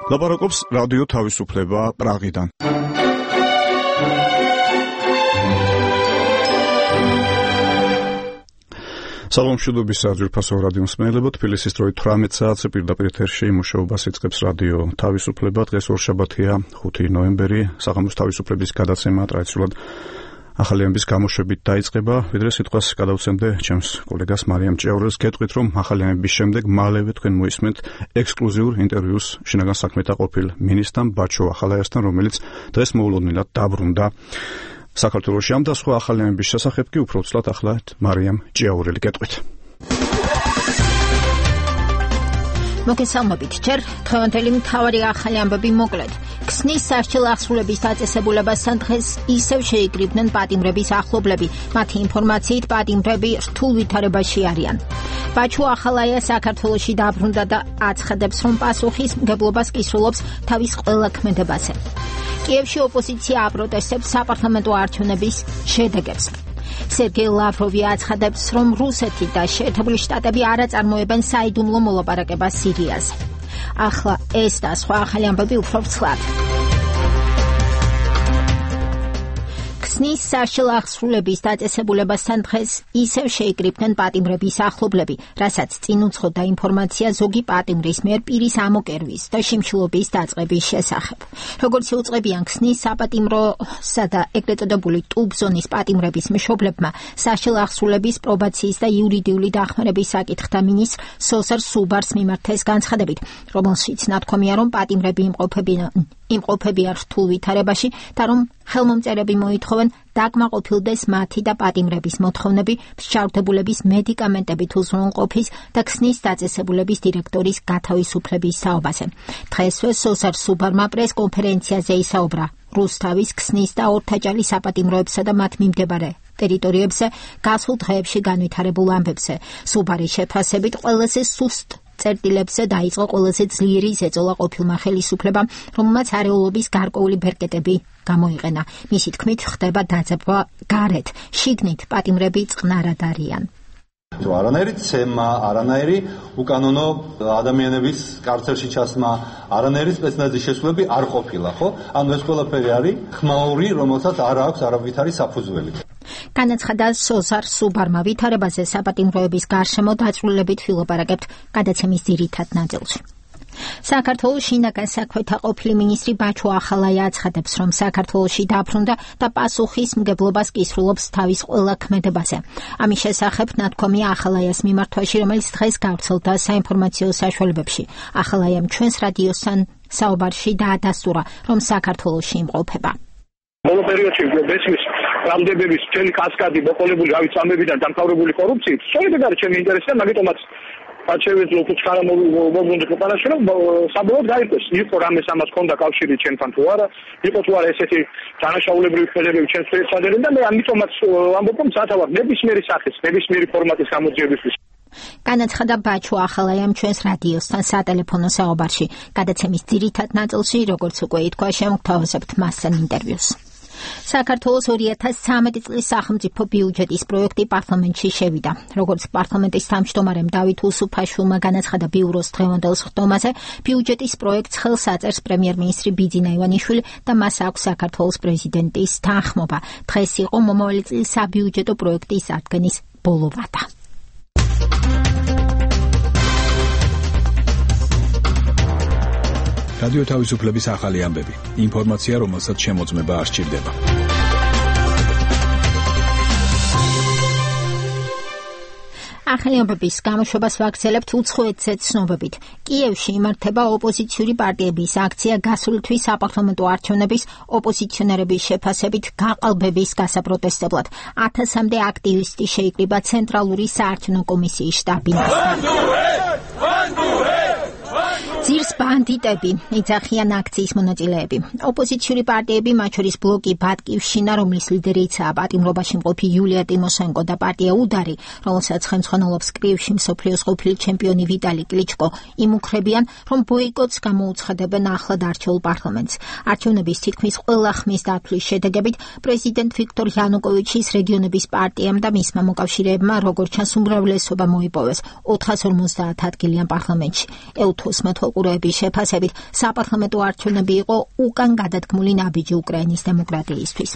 ლაპარაკობს რადიო თავისუფლება პრაღიდან. სალომშვიდობის საძირფასო რადიო მსმენელებო, თბილისის დროით 18 საათზე პირდაპირ ეთერში მუშაობას იწყებს რადიო თავისუფლება. დღეს ორშაბათია, 5 ნოემბერი, საღამოს თავისუფლების გადაცემა ტრადიციულად ახალი ამბის გამოშვებით დაიწყება. ვიდრე სიტყვას გადავცემდე ჩემს კოლეგას მარიამ ჭიაურელს, გეტყვით, რომ ახალი ამბის შემდეგ მალევე თქვენ მოისმენთ ექსკლუზიურ ინტერვიუს შინაგან საქმეთა ყოფილ მინისტრთან ბაჩო ახალაიასთან, რომელიც დღეს მოულოდნელად დაბრუნდა საქართველოში. ამ და სხვა ახალი ამბის შესახებ კი უფრო ცვლად ახლა მარიამ ჭიაურელი გეტყვით. მოგესალმებით, ჯერ დღევანდელი მთავარი ახალი ამბები მოკლედ. ქსნის სასჯელ აღსრულების დაწესებულებასთან დღეს ისევ შეიკრიბნენ პატიმრების ახლობლები. მათი ინფორმაციით პატიმრები რთულ ვითარებაში არიან. ბაჩო ახალაია საქართველოში დაბრუნდა და აცხადებს, რომ პასუხისმგებლობას კისრულობს თავის ყველა ქმედებაზე. კიევში ოპოზიცია აპროტესტებს საპარლამენტო არჩევნების შედეგებს. სერგეი ლავროვი აცხადებს, რომ რუსეთი და შეერთებული შტატები არ აწარმოებენ საიდუმლო მოლაპარაკებას სირიაზე. ახლა ეს და სხვა ახალი ამბები უფრო ცვლად. ქსნის სასჯელ აღსრულების დაწესებულებასთან დღეს ისევ შეიკრიბნენ პატიმრების ახლობლები, რასაც წინ უძღოდა ინფორმაცია ზოგი პატიმრის მიერ პირის ამოკერვის და შიმშილობის დაწყების შესახებ. როგორც იუწყებიან ქსნის საპატიმროსა და ეგრეთ წოდებული ტუბ-ზონის პატიმრების მშობლებმა, სასჯელ აღსრულების პრობაციის და იურიდიული დახმარების საკითხთა მინისტრ სოსარ სუბარს მიმართეს განცხადებით, რომელშიც ნათქვამია, რომ პატიმრები იმყოფებიან რთულ ვითარებაში და რომ ხელმომწერები მოითხოვენ დაკმაყოფილდეს მათი და პატიმრების მოთხოვნები მსჯავრდებულების მედიკამენტებით უზრუნველყოფის და ქსნის დაწესებულების დირექტორის გათავისუფლების საუბაზე. დღესვე სოსარ სუბარმა პრესკონფერენციაზე ისაუბრა რუსთავის, ქსნის და ორთაჭალის საპატიმროებსა და მათ მიმდებარე ტერიტორიებზე გასულ დღეებში განვითარებულ ამბებზე. სუბარის შეფასებით ყველაზე სუსტ წერტილებზე დაიწყო ყველაზე ძლიერი ზეწოლა ყოფილმა ხელისუფლებამ, რომელმაც არეულობის გარკვეული ბერკეტები გამოიყენა. მისი თქმით, ხდება დაძაბვა გარეთ, შიგნით პატიმრები წყნარად არიან. არანაირი ცემა, არანაირი უკანონო ადამიანების კარცერში ჩასმა, არანაირი სპეცნაზის შესრულები არ ყოფილა, ხო? ანუ ეს ყველაფერი არის ხმაური, რომელსაც არ აქვს არავითარი საფუძველი. განაცხადა სოზარ სუბარმა. ვითარებაზე საპატიმროების გარშემო დაწვრილებით ვილაპარაკებთ გადაცემის ძირითად ნაწილში. საქართველოს შინაგან საქმეთა ყოფილი მინისტრი ბაჩო ახალაია აცხადებს, რომ საქართველოში დაბრუნდა და პასუხისმგებლობას კისრულობს თავის ყველა ქმედებაზე. ამის შესახებ ნათქვამია ახალაიას მიმართვაში, რომელიც დღეს გავრცელდა საინფორმაციო საშუალებებში. ახალაიამ ჩვენს რადიოსთან საუბარში დაადასტურა, რომ საქართველოში იმყოფება. ბოლო პერიოდში ბესმის რამდენების მთელი კასკადი მოყოლებული რავით ამბებიდან დამთავრებული კორუფციით, სწორედ ეს არის ჩემი ინტერესი და მაგიტომაც აჩევեցო უცხარა მოგვუნდა ქვეყანაში, რომ საბოლოოდ გაიგოს, იყო რამეს ამას ჰქონდა კავშირი ჩვენთან თუ არა, იყო თუ არა ესეთი დანაშაულებრივი ხელებები ჩვენს ფერისადერენ და მე ამიტომაც ამბობ, რომ სათავარ ნებისმიერი სახის, ნებისმიერი ფორმატის გამოძიებისთვის. განაცხადა ბაჩო ახალაიამ ჩვენს რადიოსთან სატელეფონო საუბარში. გადაცემის ძირითად ნაწილში, როგორც უკვე ითქვა, შემოგთავაზებთ მასთან ინტერვიუს. საქართველოს 2013 წლის სახელმწიფო ბიუჯეტის პროექტი პარლამენტში შევიდა. როგორც პარლამენტის თავმჯდომარემ დავით უსუფაშვილმა განაცხადა ბიუროს დღევანდელ სხდომაზე, ბიუჯეტის პროექტს ხელს აწერს პრემიერ-მინისტრი ბიძინა ივანიშვილი და მას აქვს საქართველოს პრეზიდენტის თანხმობა. დღეს იყო მომავალი წლის საბიუჯეტო პროექტის ადგენის ბოლო ვადა. რადიო თავისუფლების ახალი ამბები. ინფორმაცია, რომელსაც შემოწმება არ სჭირდება. ახალი ამბების გამოშვებას ვაგრძელებთ უცხოეთზე ცნობებით. კიევში იმართება ოპოზიციური პარტიების აქცია გასული თვის საპარლამენტო არჩევნების ოპოზიციონერების შეფასებით გაყალბების გასაპროტესტებლად. 1000-მდე აქტივისტი შეიკრიბა ცენტრალური საარჩევნო კომისიის შტაბ-ბინასთან. ძირს ბანდიტები იძახიან აქციის მონაწილეები. ოპოზიციური პარტიები, მათ შორის ბლოკი ბატკივშინა, რომლის ლიდერიცაა პატიმრობაში მყოფი იულია ტიმოშენკო და პარტია უდარი, რომელსაც ხელმძღვანელობს კიევში მსოფლიოს ყოფილი ჩემპიონი ვიტალი კლიჩკო, იმუქრებიან, რომ ბოიკოტს გამოუცხადებენ ახლად არჩეულ პარლამენტს. არჩევნების თითქმის ყველა ხმის დათვლის შედეგებით პრეზიდენტ ვიქტორ იანუკოვიჩის რეგიონების პარტიამ და მისმა მოკავშირეებმა როგორც ჩანს უმრავლესობა მოიპოვეს 450 ადგილიან პარლამენტში. ელთოს მეთვალ მოყურეების შეფასებით საპარლამენტო არჩევნები იყო უკან გადადგმული ნაბიჯი უკრაინის დემოკრატიისთვის.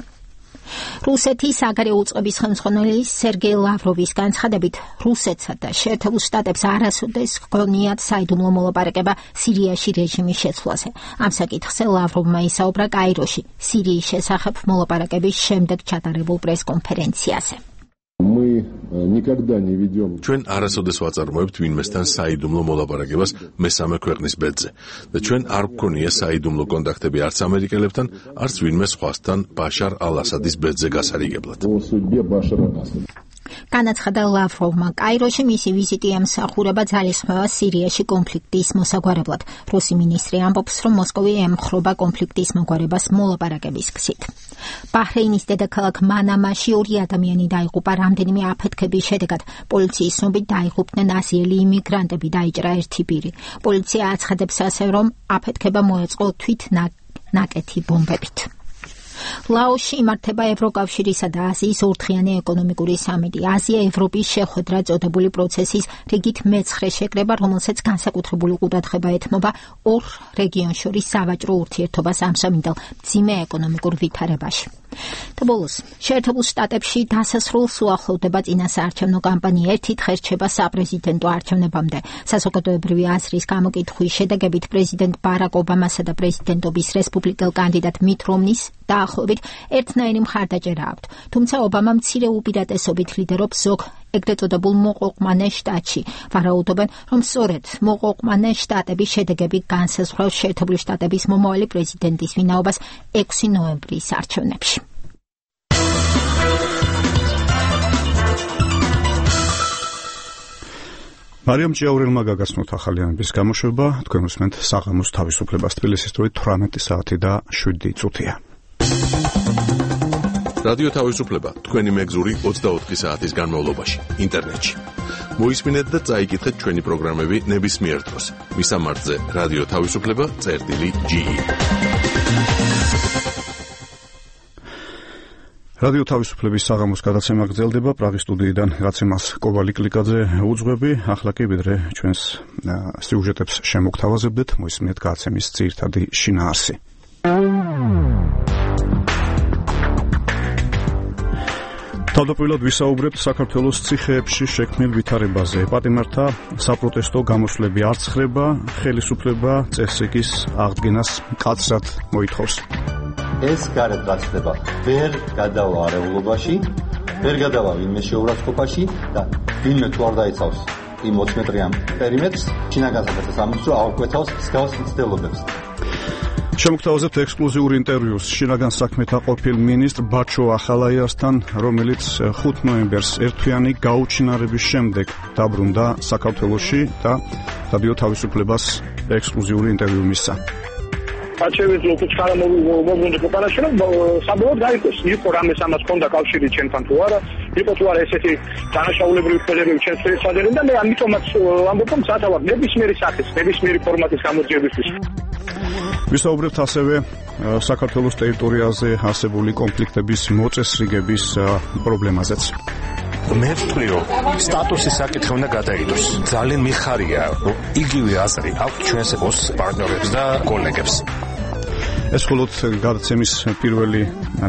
რუსეთის საგარეო უწყების ხელმძღვანელი სერგეი ლავროვის განცხადებით, რუსეთსა და შეერთებულ შტატებს არასოდეს ჰქონიათ საიდუმლო მოლაპარაკება სირიაში რეჟიმის შეცვლაზე. ამ საკითხზე ლავროვმა ისაუბრა კაიროში, სირიის შესახებ მოლაპარაკების შემდეგ ჩატარებულ პრესკონფერენციაზე. ჩვენ არასოდეს ვაწარმოებთ ვინმესთან საიდუმლო მოლაპარაკებას მესამე ქვეყნის ბედზე და ჩვენ არ გვქონია საიდუმლო კონტაქტები არც ამერიკელებთან, არც ვინმე სხვასთან ბაშარ ალ-ასადის ბედზე გასარიგებლად. განაცხადა ლავროვმა, კაიროში მისი ვიზიტი ემსახურება ძალისხმევა სირიაში კონფლიქტის მოსაგვარებლად. რუსი მინისტრი ამბობს, რომ მოსკოვი ემხრობა კონფლიქტის მოგვარებას მოლაპარაკების გზით. ბაჰრეინის დედაქალაქ მანამაში 2 ადამიანი დაიღუპა რამდენიმე აფეთქების შედეგად. პოლიციის ცნობით დაიღუპნენ აზიელი იმიგრანტები, დაიჭრა ერთი პირი. პოლიცია აცხადებს ასე, რომ აფეთქება მოეწყო თვითნაკეთი ბომბებით. ლაოსში იმართება ევროკავშირისა და აზიის ორდღიანი ეკონომიკური სამიტი. აზია-ევროპის შეხვედრა წოდებული პროცესის რიგით მეცხრე შეკრება, რომელსაც განსაკუთრებული ყურადღება ეთმობა ორ რეგიონს შორის სავაჭრო ურთიერთობას ამსამინდელ მძიმე ეკონომიკურ ვითარებაში. და ბოლოს, შეერთებულ შტატებში დასასრულს უახლოვდება წინასაარჩევნო კამპანია, ერთი დღე რჩება საპრეზიდენტო არჩევნებამდე. საზოგადოებრივი აზრის გამოკითხვის შედეგებით პრეზიდენტ ბარაკ ობამასა და პრეზიდენტობის რესპუბლიკელ კანდიდატ მით რომნის დაახლოებით ერთნაირი მხარდაჭერა აქვთ. თუმცა ობამა მცირე უპირატესობით ლიდერობს ზოგ ეგრეთ წოდებულ მოყოყმანე შტატში. ვარაუდობენ, რომ სწორედ მოყოყმანე შტატების შედეგები განსაზღვრავს შეერთებული შტატების მომავალი პრეზიდენტის ვინაობას 6 ნოემბრის არჩევნებში. მარიამ ჭიაურელმა გაგაცნოთ ახალიანების გამოშვება, თქვენ უსმენთ საღამოს თავისუფლებას, თბილისის დროით 18 საათი და 7 წუთია. რადიო თავისუფლება, თქვენი მეგზური 24 საათის განმავლობაში, ინტერნეტში. მოისმინეთ და წაიკითხეთ ჩვენი პროგრამები ნებისმიერ დროს. მისამართზე რადიო თავისუფლება.ge. რადიო თავისუფლების საღამოს გადაცემა გრძელდება პრაღის სტუდიიდან, რაცემას კოვალი კლიკაძე უძღვები. ახლა კი ვიდრე ჩვენს სიუჟეტებს შემოგთავაზებდეთ, მოისმინეთ გადაცემის ძირითადი შინაარსი. თავდაპირველად ვისაუბრებთ საქართველოს ციხეებში შექმნილ ვითარებაზე. პატიმართა საპროტესტო გამოსვლები არ ცხრება, ხელისუფლება წესრიგის აღდგენას მკაცრად მოითხოვს. ეს გარეთ გაცდება ვერ გადავა არეულობაში, ვერ გადავა ვინმე შეურაცხყოფაში და ვინმე თუ არ დაიცავს იმ 20 მეტრიან პერიმეტრს, შინაგან საქმეთა სამინისტრო აუკვეთავს მსგავს მცდელობებს. შემოგთავაზებთ ექსკლუზიურ ინტერვიუს შინაგან საქმეთა ყოფილ მინისტრ ბაჩო ახალაიასთან, რომელიც 5 ნოემბერს ერთთვიანი გაუჩინარების შემდეგ დაბრუნდა საქართველოში და რადიო თავისუფლებას ექსკლუზიური ინტერვიუ მისცა. აჩევით ლოქუჩქარა მოგვუნდა ქვეყანაში, რომ საბოლოოდ გაიგოს, იყო რამეს ამას ჰქონდა კავშირი ჩვენთან თუ არა, იყო თუ არა ესეთი დანაშაულებრივი ფერები ჩვენს შესაძლებელი და მე ამიტომაც ამბობ, რომ სათავარ ნებისმიერი სახის, ნებისმიერი ფორმატის გამოძიებისთვის. ვისაუბრებთ ასევე საქართველოს ტერიტორიაზე არსებული კონფლიქტების მოწესრიგების პრობლემაზეც. მე ვთვლი, რომ სტატუსის საკითხი უნდა გადაიდოს. ძალიან მიხარია, რომ იგივე აზრი აქვს ჩვენს პარტნიორებს და კოლეგებს. ეს მხოლოდ გადაცემის პირველი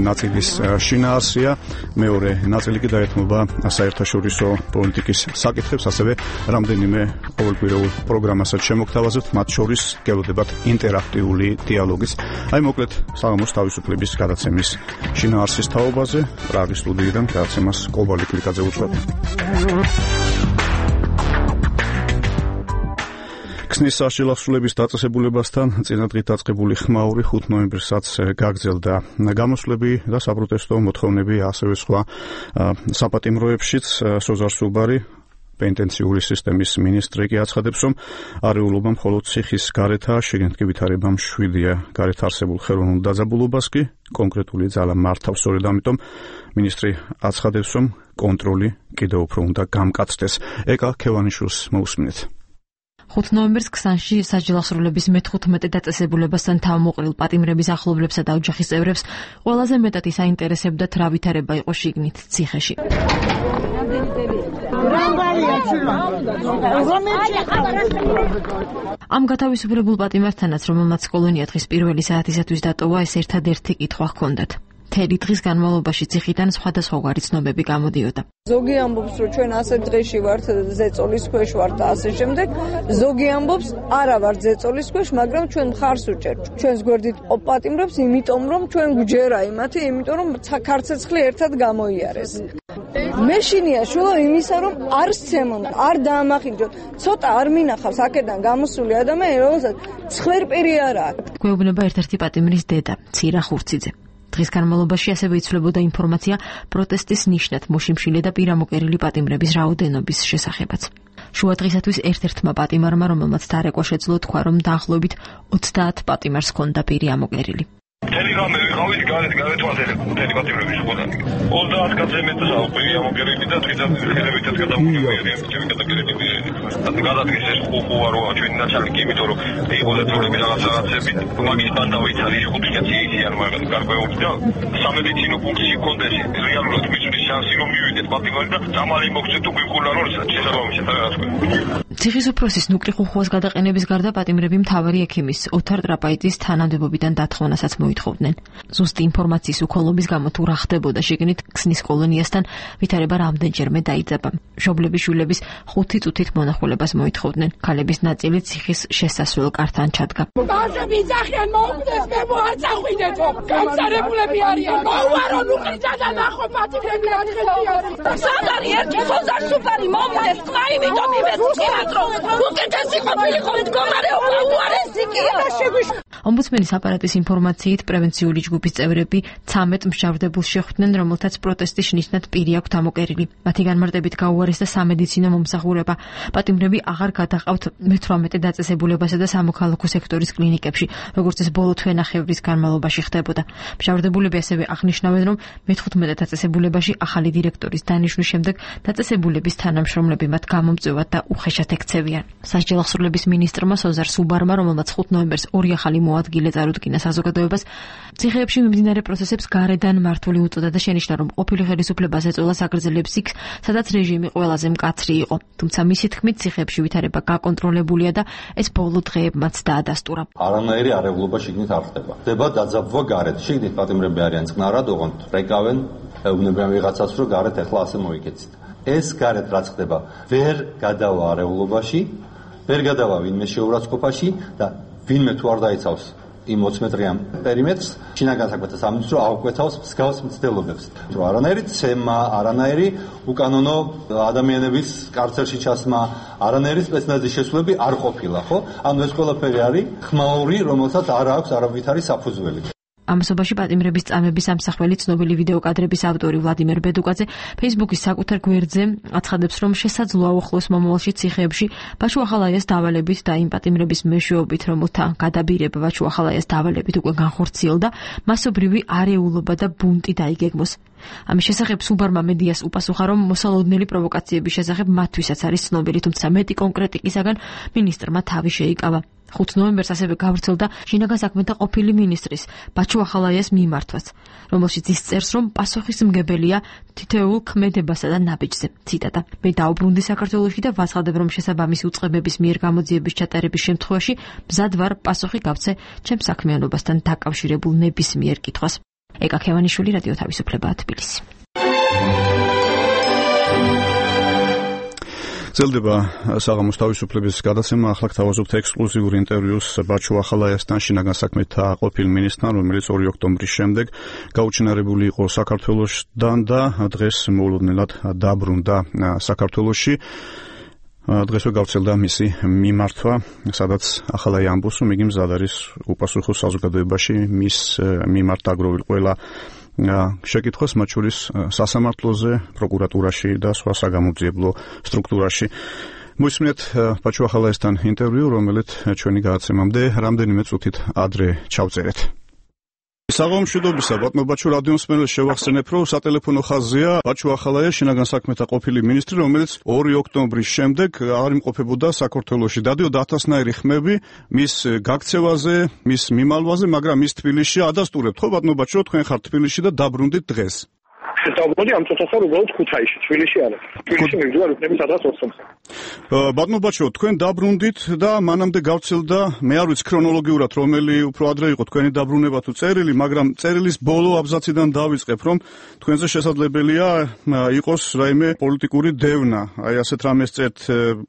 ნაწილის შინაარსია, მეორე ნაწილი კი დაეთმობა საერთაშორისო პოლიტიკის საკითხებს, ასევე რამდენიმე ყოველკვირეულ პროგრამასაც შემოგთავაზებთ, მათ შორის გელოდებათ ინტერაქტიული დიალოგიც. აი მოკლედ საღამოს თავისუფლების გადაცემის შინაარსის თაობაზე, პრაღის სტუდიიდან გადაცემას კოვალი კლიკაძე უძღვება. ქსნის საშილახსულების დაწესებულებასთან წინადღით დაწყებული ხმაური 5 ნოემბრსაც გაგრძელდა. გამოსვლები და საპროტესტო მოთხოვნები ასევე სხვა საპატიმროებშიც. სოზარ სუბარი, პენტენციური სისტემის მინისტრი კი აცხადებს, რომ არეულობა მხოლოდ ციხის გარეთაა, შიგნით კი ვითარება მშვიდია. გარეთ არსებულ ხელოვნურ დაძაბულობას კი კონკრეტული ძალა მართავს. სწორედ ამიტომ მინისტრი აცხადებს, რომ კონტროლი კიდევ უფრო უნდა გამკაცდეს. ეკა ქევანიშვილს მოусმინეთ. 5 ნოემბერს ქსანში საჯილახსრულების მე-15 დაწესებულებასთან თავმოყრილ პატიმრების ახლობლებსა და ოჯახის წევრებს ყველაზე მეტად ისაინტერესებდათ რა ვითარება იყო შიგნით ციხეში. ამ გათავისუფლებულ პატიმართანაც, რომელმაც კოლონია დღის პირველი საათისათვის დატოვა, ეს ერთადერთი კითხვა ჰქონდათ. მთელი დღის განმავლობაში ციხიდან სხვადასხვაგვარი ცნობები გამოდიოდა. ზოგი ამბობს, რომ ჩვენ ასე დღეში ვართ, ზეწოლის ქვეშ ვართ და ასე შემდეგ. ზოგი ამბობს, არა ვართ ზეწოლის ქვეშ, მაგრამ ჩვენ მხარს უჭერთ. ჩვენს გვერდით პატიმრებს, იმიტომ რომ ჩვენ გვჯერა იმათი, იმიტომ რომ ქარცეცხლი ერთად გამოიარეს. მე შინია შულა იმისა, რომ არ სცემონ, არ დაამახინჯოთ. ცოტა არ მინახავს აქედან გამოსული ადამიანი, რომელსაც ცხვერპირი არ აქვს. გვეუბნება ერთ-ერთი პატიმრის დედა, ცირა ხურციძე. დღის განმავლობაში ასევე იცვლებოდა ინფორმაცია პროტესტის ნიშნად მოშიმშილე და პირამოკერილი პატიმრების რაოდენობის შესახებაც. შუა დღისათვის ერთ-ერთმა პატიმარმა, რომელმაც დარეკვა შეძლო, თქვა, რომ დაახლოებით 30 პატიმარს ჰქონდა პირი ამოკერილი. მთელი რამე ვიყავით გარეთ მთელი პატიმრების ხოდანი. 30 კაცზე მეტს აუყვი ამოკერილი და დღესაც ხელებითაც გადამოგვიყვება ჩემი გადაგერებული. გადადგეს ეს უყუარო ჩვენი ნაცალი კი იმიტომ რომ იყო დაწოლები რაღაცები მაგის ბანდავით არის 5 კაცი ისიან მაგრამ გარკვეული და სამედიცინო ფუნქცია კონდეს რეალურად მიწვლის შანსი რომ მივიდეთ პატიმარი და დამალი მოგცეთ თუ გვიყურნა რომ შესაბამისად რაღაც თქვა. ციხის უფროსის ნუკლი ხუხუას გადაყენების გარდა პატიმრები მთავარი ექიმის ოთარ ტრაპაიძის თანამდებობიდან დათხოვნასაც მოითხოვდნენ. ზუსტი ინფორმაციის უქოლობის გამო თუ რა ხდებოდა შიგნით ქსნის კოლონიასთან ვითარება რამდენჯერმე დაიძაბა. მშობლების შვილების 5 წუთით მონახულებას მოითხოვდნენ. ქალების ნაწილი ციხის შესასვლელ კართან ჩადგა. ბავშვები იძახიან მოუკვდეს მე მოაწახვიდეთო. გამწარებულები არიან. მოუარო ნუკლიდან და ნახო პატიმრები ათხელი არის. სანდარი ერთი ხოზარ სუფარი მომდეს ყმა იმიტომ იმეცქიათ რომ უკეთესი ყოფილიყო მდგომარეობა უარესი კი არა შეგვიშ. ომბუდსმენის აპარატის ინფორმაციით პრევენციული ჯგუფის წევრები 13 მსჯავრდებულს შეხვდნენ, რომელთაც პროტესტის ნიშნად პირი აქვთ ამოკერილი. მათი განმარტებით გაუარესდა სამედიცინო მომსახურება. პატიმრები აღარ გადაყავთ მე-18 დაწესებულებასა და სამოქალაქო სექტორის კლინიკებში, როგორც ეს ბოლო თვენახევრის განმავლობაში ხდებოდა. მსჯავრდებულები ასევე აღნიშნავენ, რომ მე-15 დაწესებულებაში ახალი დირექტორის დანიშვნის შემდეგ დაწესებულების თანამშრომლები მათ გამომწვევად და უხეშად ექცევიან. სასჯელ აღსრულების მინისტრმა სოზარ სუბარმა, რომელმაც 5 ნოემბერს 2 ახალი მოადგილე წარუდგინა საზოგადოებას, ციხეებში მიმდინარე პროცესებს გარედან მართული უწოდა და შენიშნა, რომ ყოფილი ხელისუფლებას ეწოლა აგრძელებს იქ, სადაც რეჟიმი ყველაზე მკაცრი იყო. თუმცა მისი თქმით, ციხეებში ვითარება გაკონტროლებულია და ეს ბოლო დღეებმაც დაადასტურა. არანაირი არეულობა შიგნით არ ხდება. ხდება დაძაბვა გარეთ. შიგნით პატიმრები არიან წყნარად, ოღონდ რეკავენ, ეუბნებიან ვიღაცას, რომ გარეთ ახლა ასე მოიქეცით. ეს გარეთ რაც ხდება, ვერ გადავა არეულობაში, ვერ გადავა ვინმე შეურაცხყოფაში და ვინმე თუ არ დაიცავს იმ 20 მეტრიან პერიმეტრს, შინაგან საქმეთა სამინისტრო აუკვეთავს მსგავს მცდელობებს. რომ არანაირი ცემა, არანაირი უკანონო ადამიანების კარცერში ჩასმა, არანაირი სპეცნაზის შესრულები არ ყოფილა, ხო? ანუ ეს ყველაფერი არის ხმაური, რომელსაც არ აქვს არავითარი საფუძველი. ამასობაში პატიმრების წამების ამსახველი ცნობილი ვიდეო კადრების ავტორი ვლადიმერ ბედუკაძე Facebook-ის საკუთარ გვერდზე აცხადებს, რომ შესაძლოა უახლოეს მომავალში ციხეებში ბაჩუახალაიას დავალებით და იმ პატიმრების მეშვეობით, რომელთა გადაბირება ბაჩუახალაიას დავალებით უკვე განხორციელდა, მასობრივი არეულობა და ბუნტი დაიგეგმოს. ამის შესახებ სუბარმა მედიას უპასუხა, რომ მოსალოდნელი პროვოკაციების შესახებ მათთვისაც არის ცნობილი, თუმცა მეტი კონკრეტიკისაგან მინისტრმა თავი შეიკავა. 5 ნოემბერს ასევე გავრცელდა შინაგან საქმეთა ყოფილი მინისტრის ბაჩუახალაიას მიმართვაც, რომელშიც ის წერს, რომ პასუხისმგებელია თითოეულ ქმედებასა და ნაბიჯზე. ციტატა: მე დაუბრუნდი საქართველოში და ვაცხადებ, რომ შესაბამისი უწყებების მიერ გამოძიების ჩატარების შემთხვევაში მზად ვარ პასუხი გავცე ჩემს საქმიანობასთან დაკავშირებულ ნებისმიერ კითხვას. ეკა ქევანიშვილი, რადიო თავისუფლება, თბილისი. ძლდება საღამოს თავისუფლების გადაცემა. ახლა გთავაზობთ ექსკლუზიურ ინტერვიუს ბაჩუახალაიასთან, შინაგან საქმეთა ყოფილ მინისტრთან, რომელიც 2 ოქტომბრის შემდეგ გაუჩინარებული იყო საქართველოსთან და დღეს მოულოდნელად დაბრუნდა საქართველოში. დღესვე გავრცელდა მისი მიმართვა, სადაც ახალაი ამბობს, რომ იგი მზად არის უპასუხოს საზოგადოებაში მის მიმართ დაგროვილ ყველა შეკითხვას, მათ შორის სასამართლოზე, პროკურატურაში და სხვა საგამოძიებლო სტრუქტურაში. მოისმინეთ ბაჩუახალაიასთან ინტერვიუ, რომელიც ჩვენი გადაცემამდე რამდენიმე წუთით ადრე ჩავწერეთ. საღამომშვიდობისა, ბატონო ბაჩუ, რადიო მსმენელს შევახსენებ, რომ სატელეფონო ხაზია ბაჩუახალაია, შინაგან საქმეთა ყოფილი მინისტრი, რომელიც 2 ოქტომბრის შემდეგ არ იმყოფებოდა საქართველოში. დადიოდა ათასნაირი ხმები მის გაქცევაზე, მის მიმალვაზე, მაგრამ ის თბილისში ადასტურებთ, ხო ბატონო ბაჩუ, თქვენ ხართ თბილისში და დაბრუნდით დღეს. დავბრუნდი ამ წუთას რომ უბრალოდ ქუთაისში, თბილისში არა. თბილისში მივდივარ უფლების სადღაც 20-ზე. ბატონო ბაჩო, თქვენ დაბრუნდით და მანამდე გავცილდა, მე არ ვიცი ქრონოლოგიურად რომელი უფრო ადრე იყო თქვენი დაბრუნება თუ წერილი, მაგრამ წერილის ბოლო აბზაციდან დავიწყებ, რომ თქვენზე შესაძლებელია იყოს რაიმე პოლიტიკური დევნა. აი ასეთ რამეს წერთ,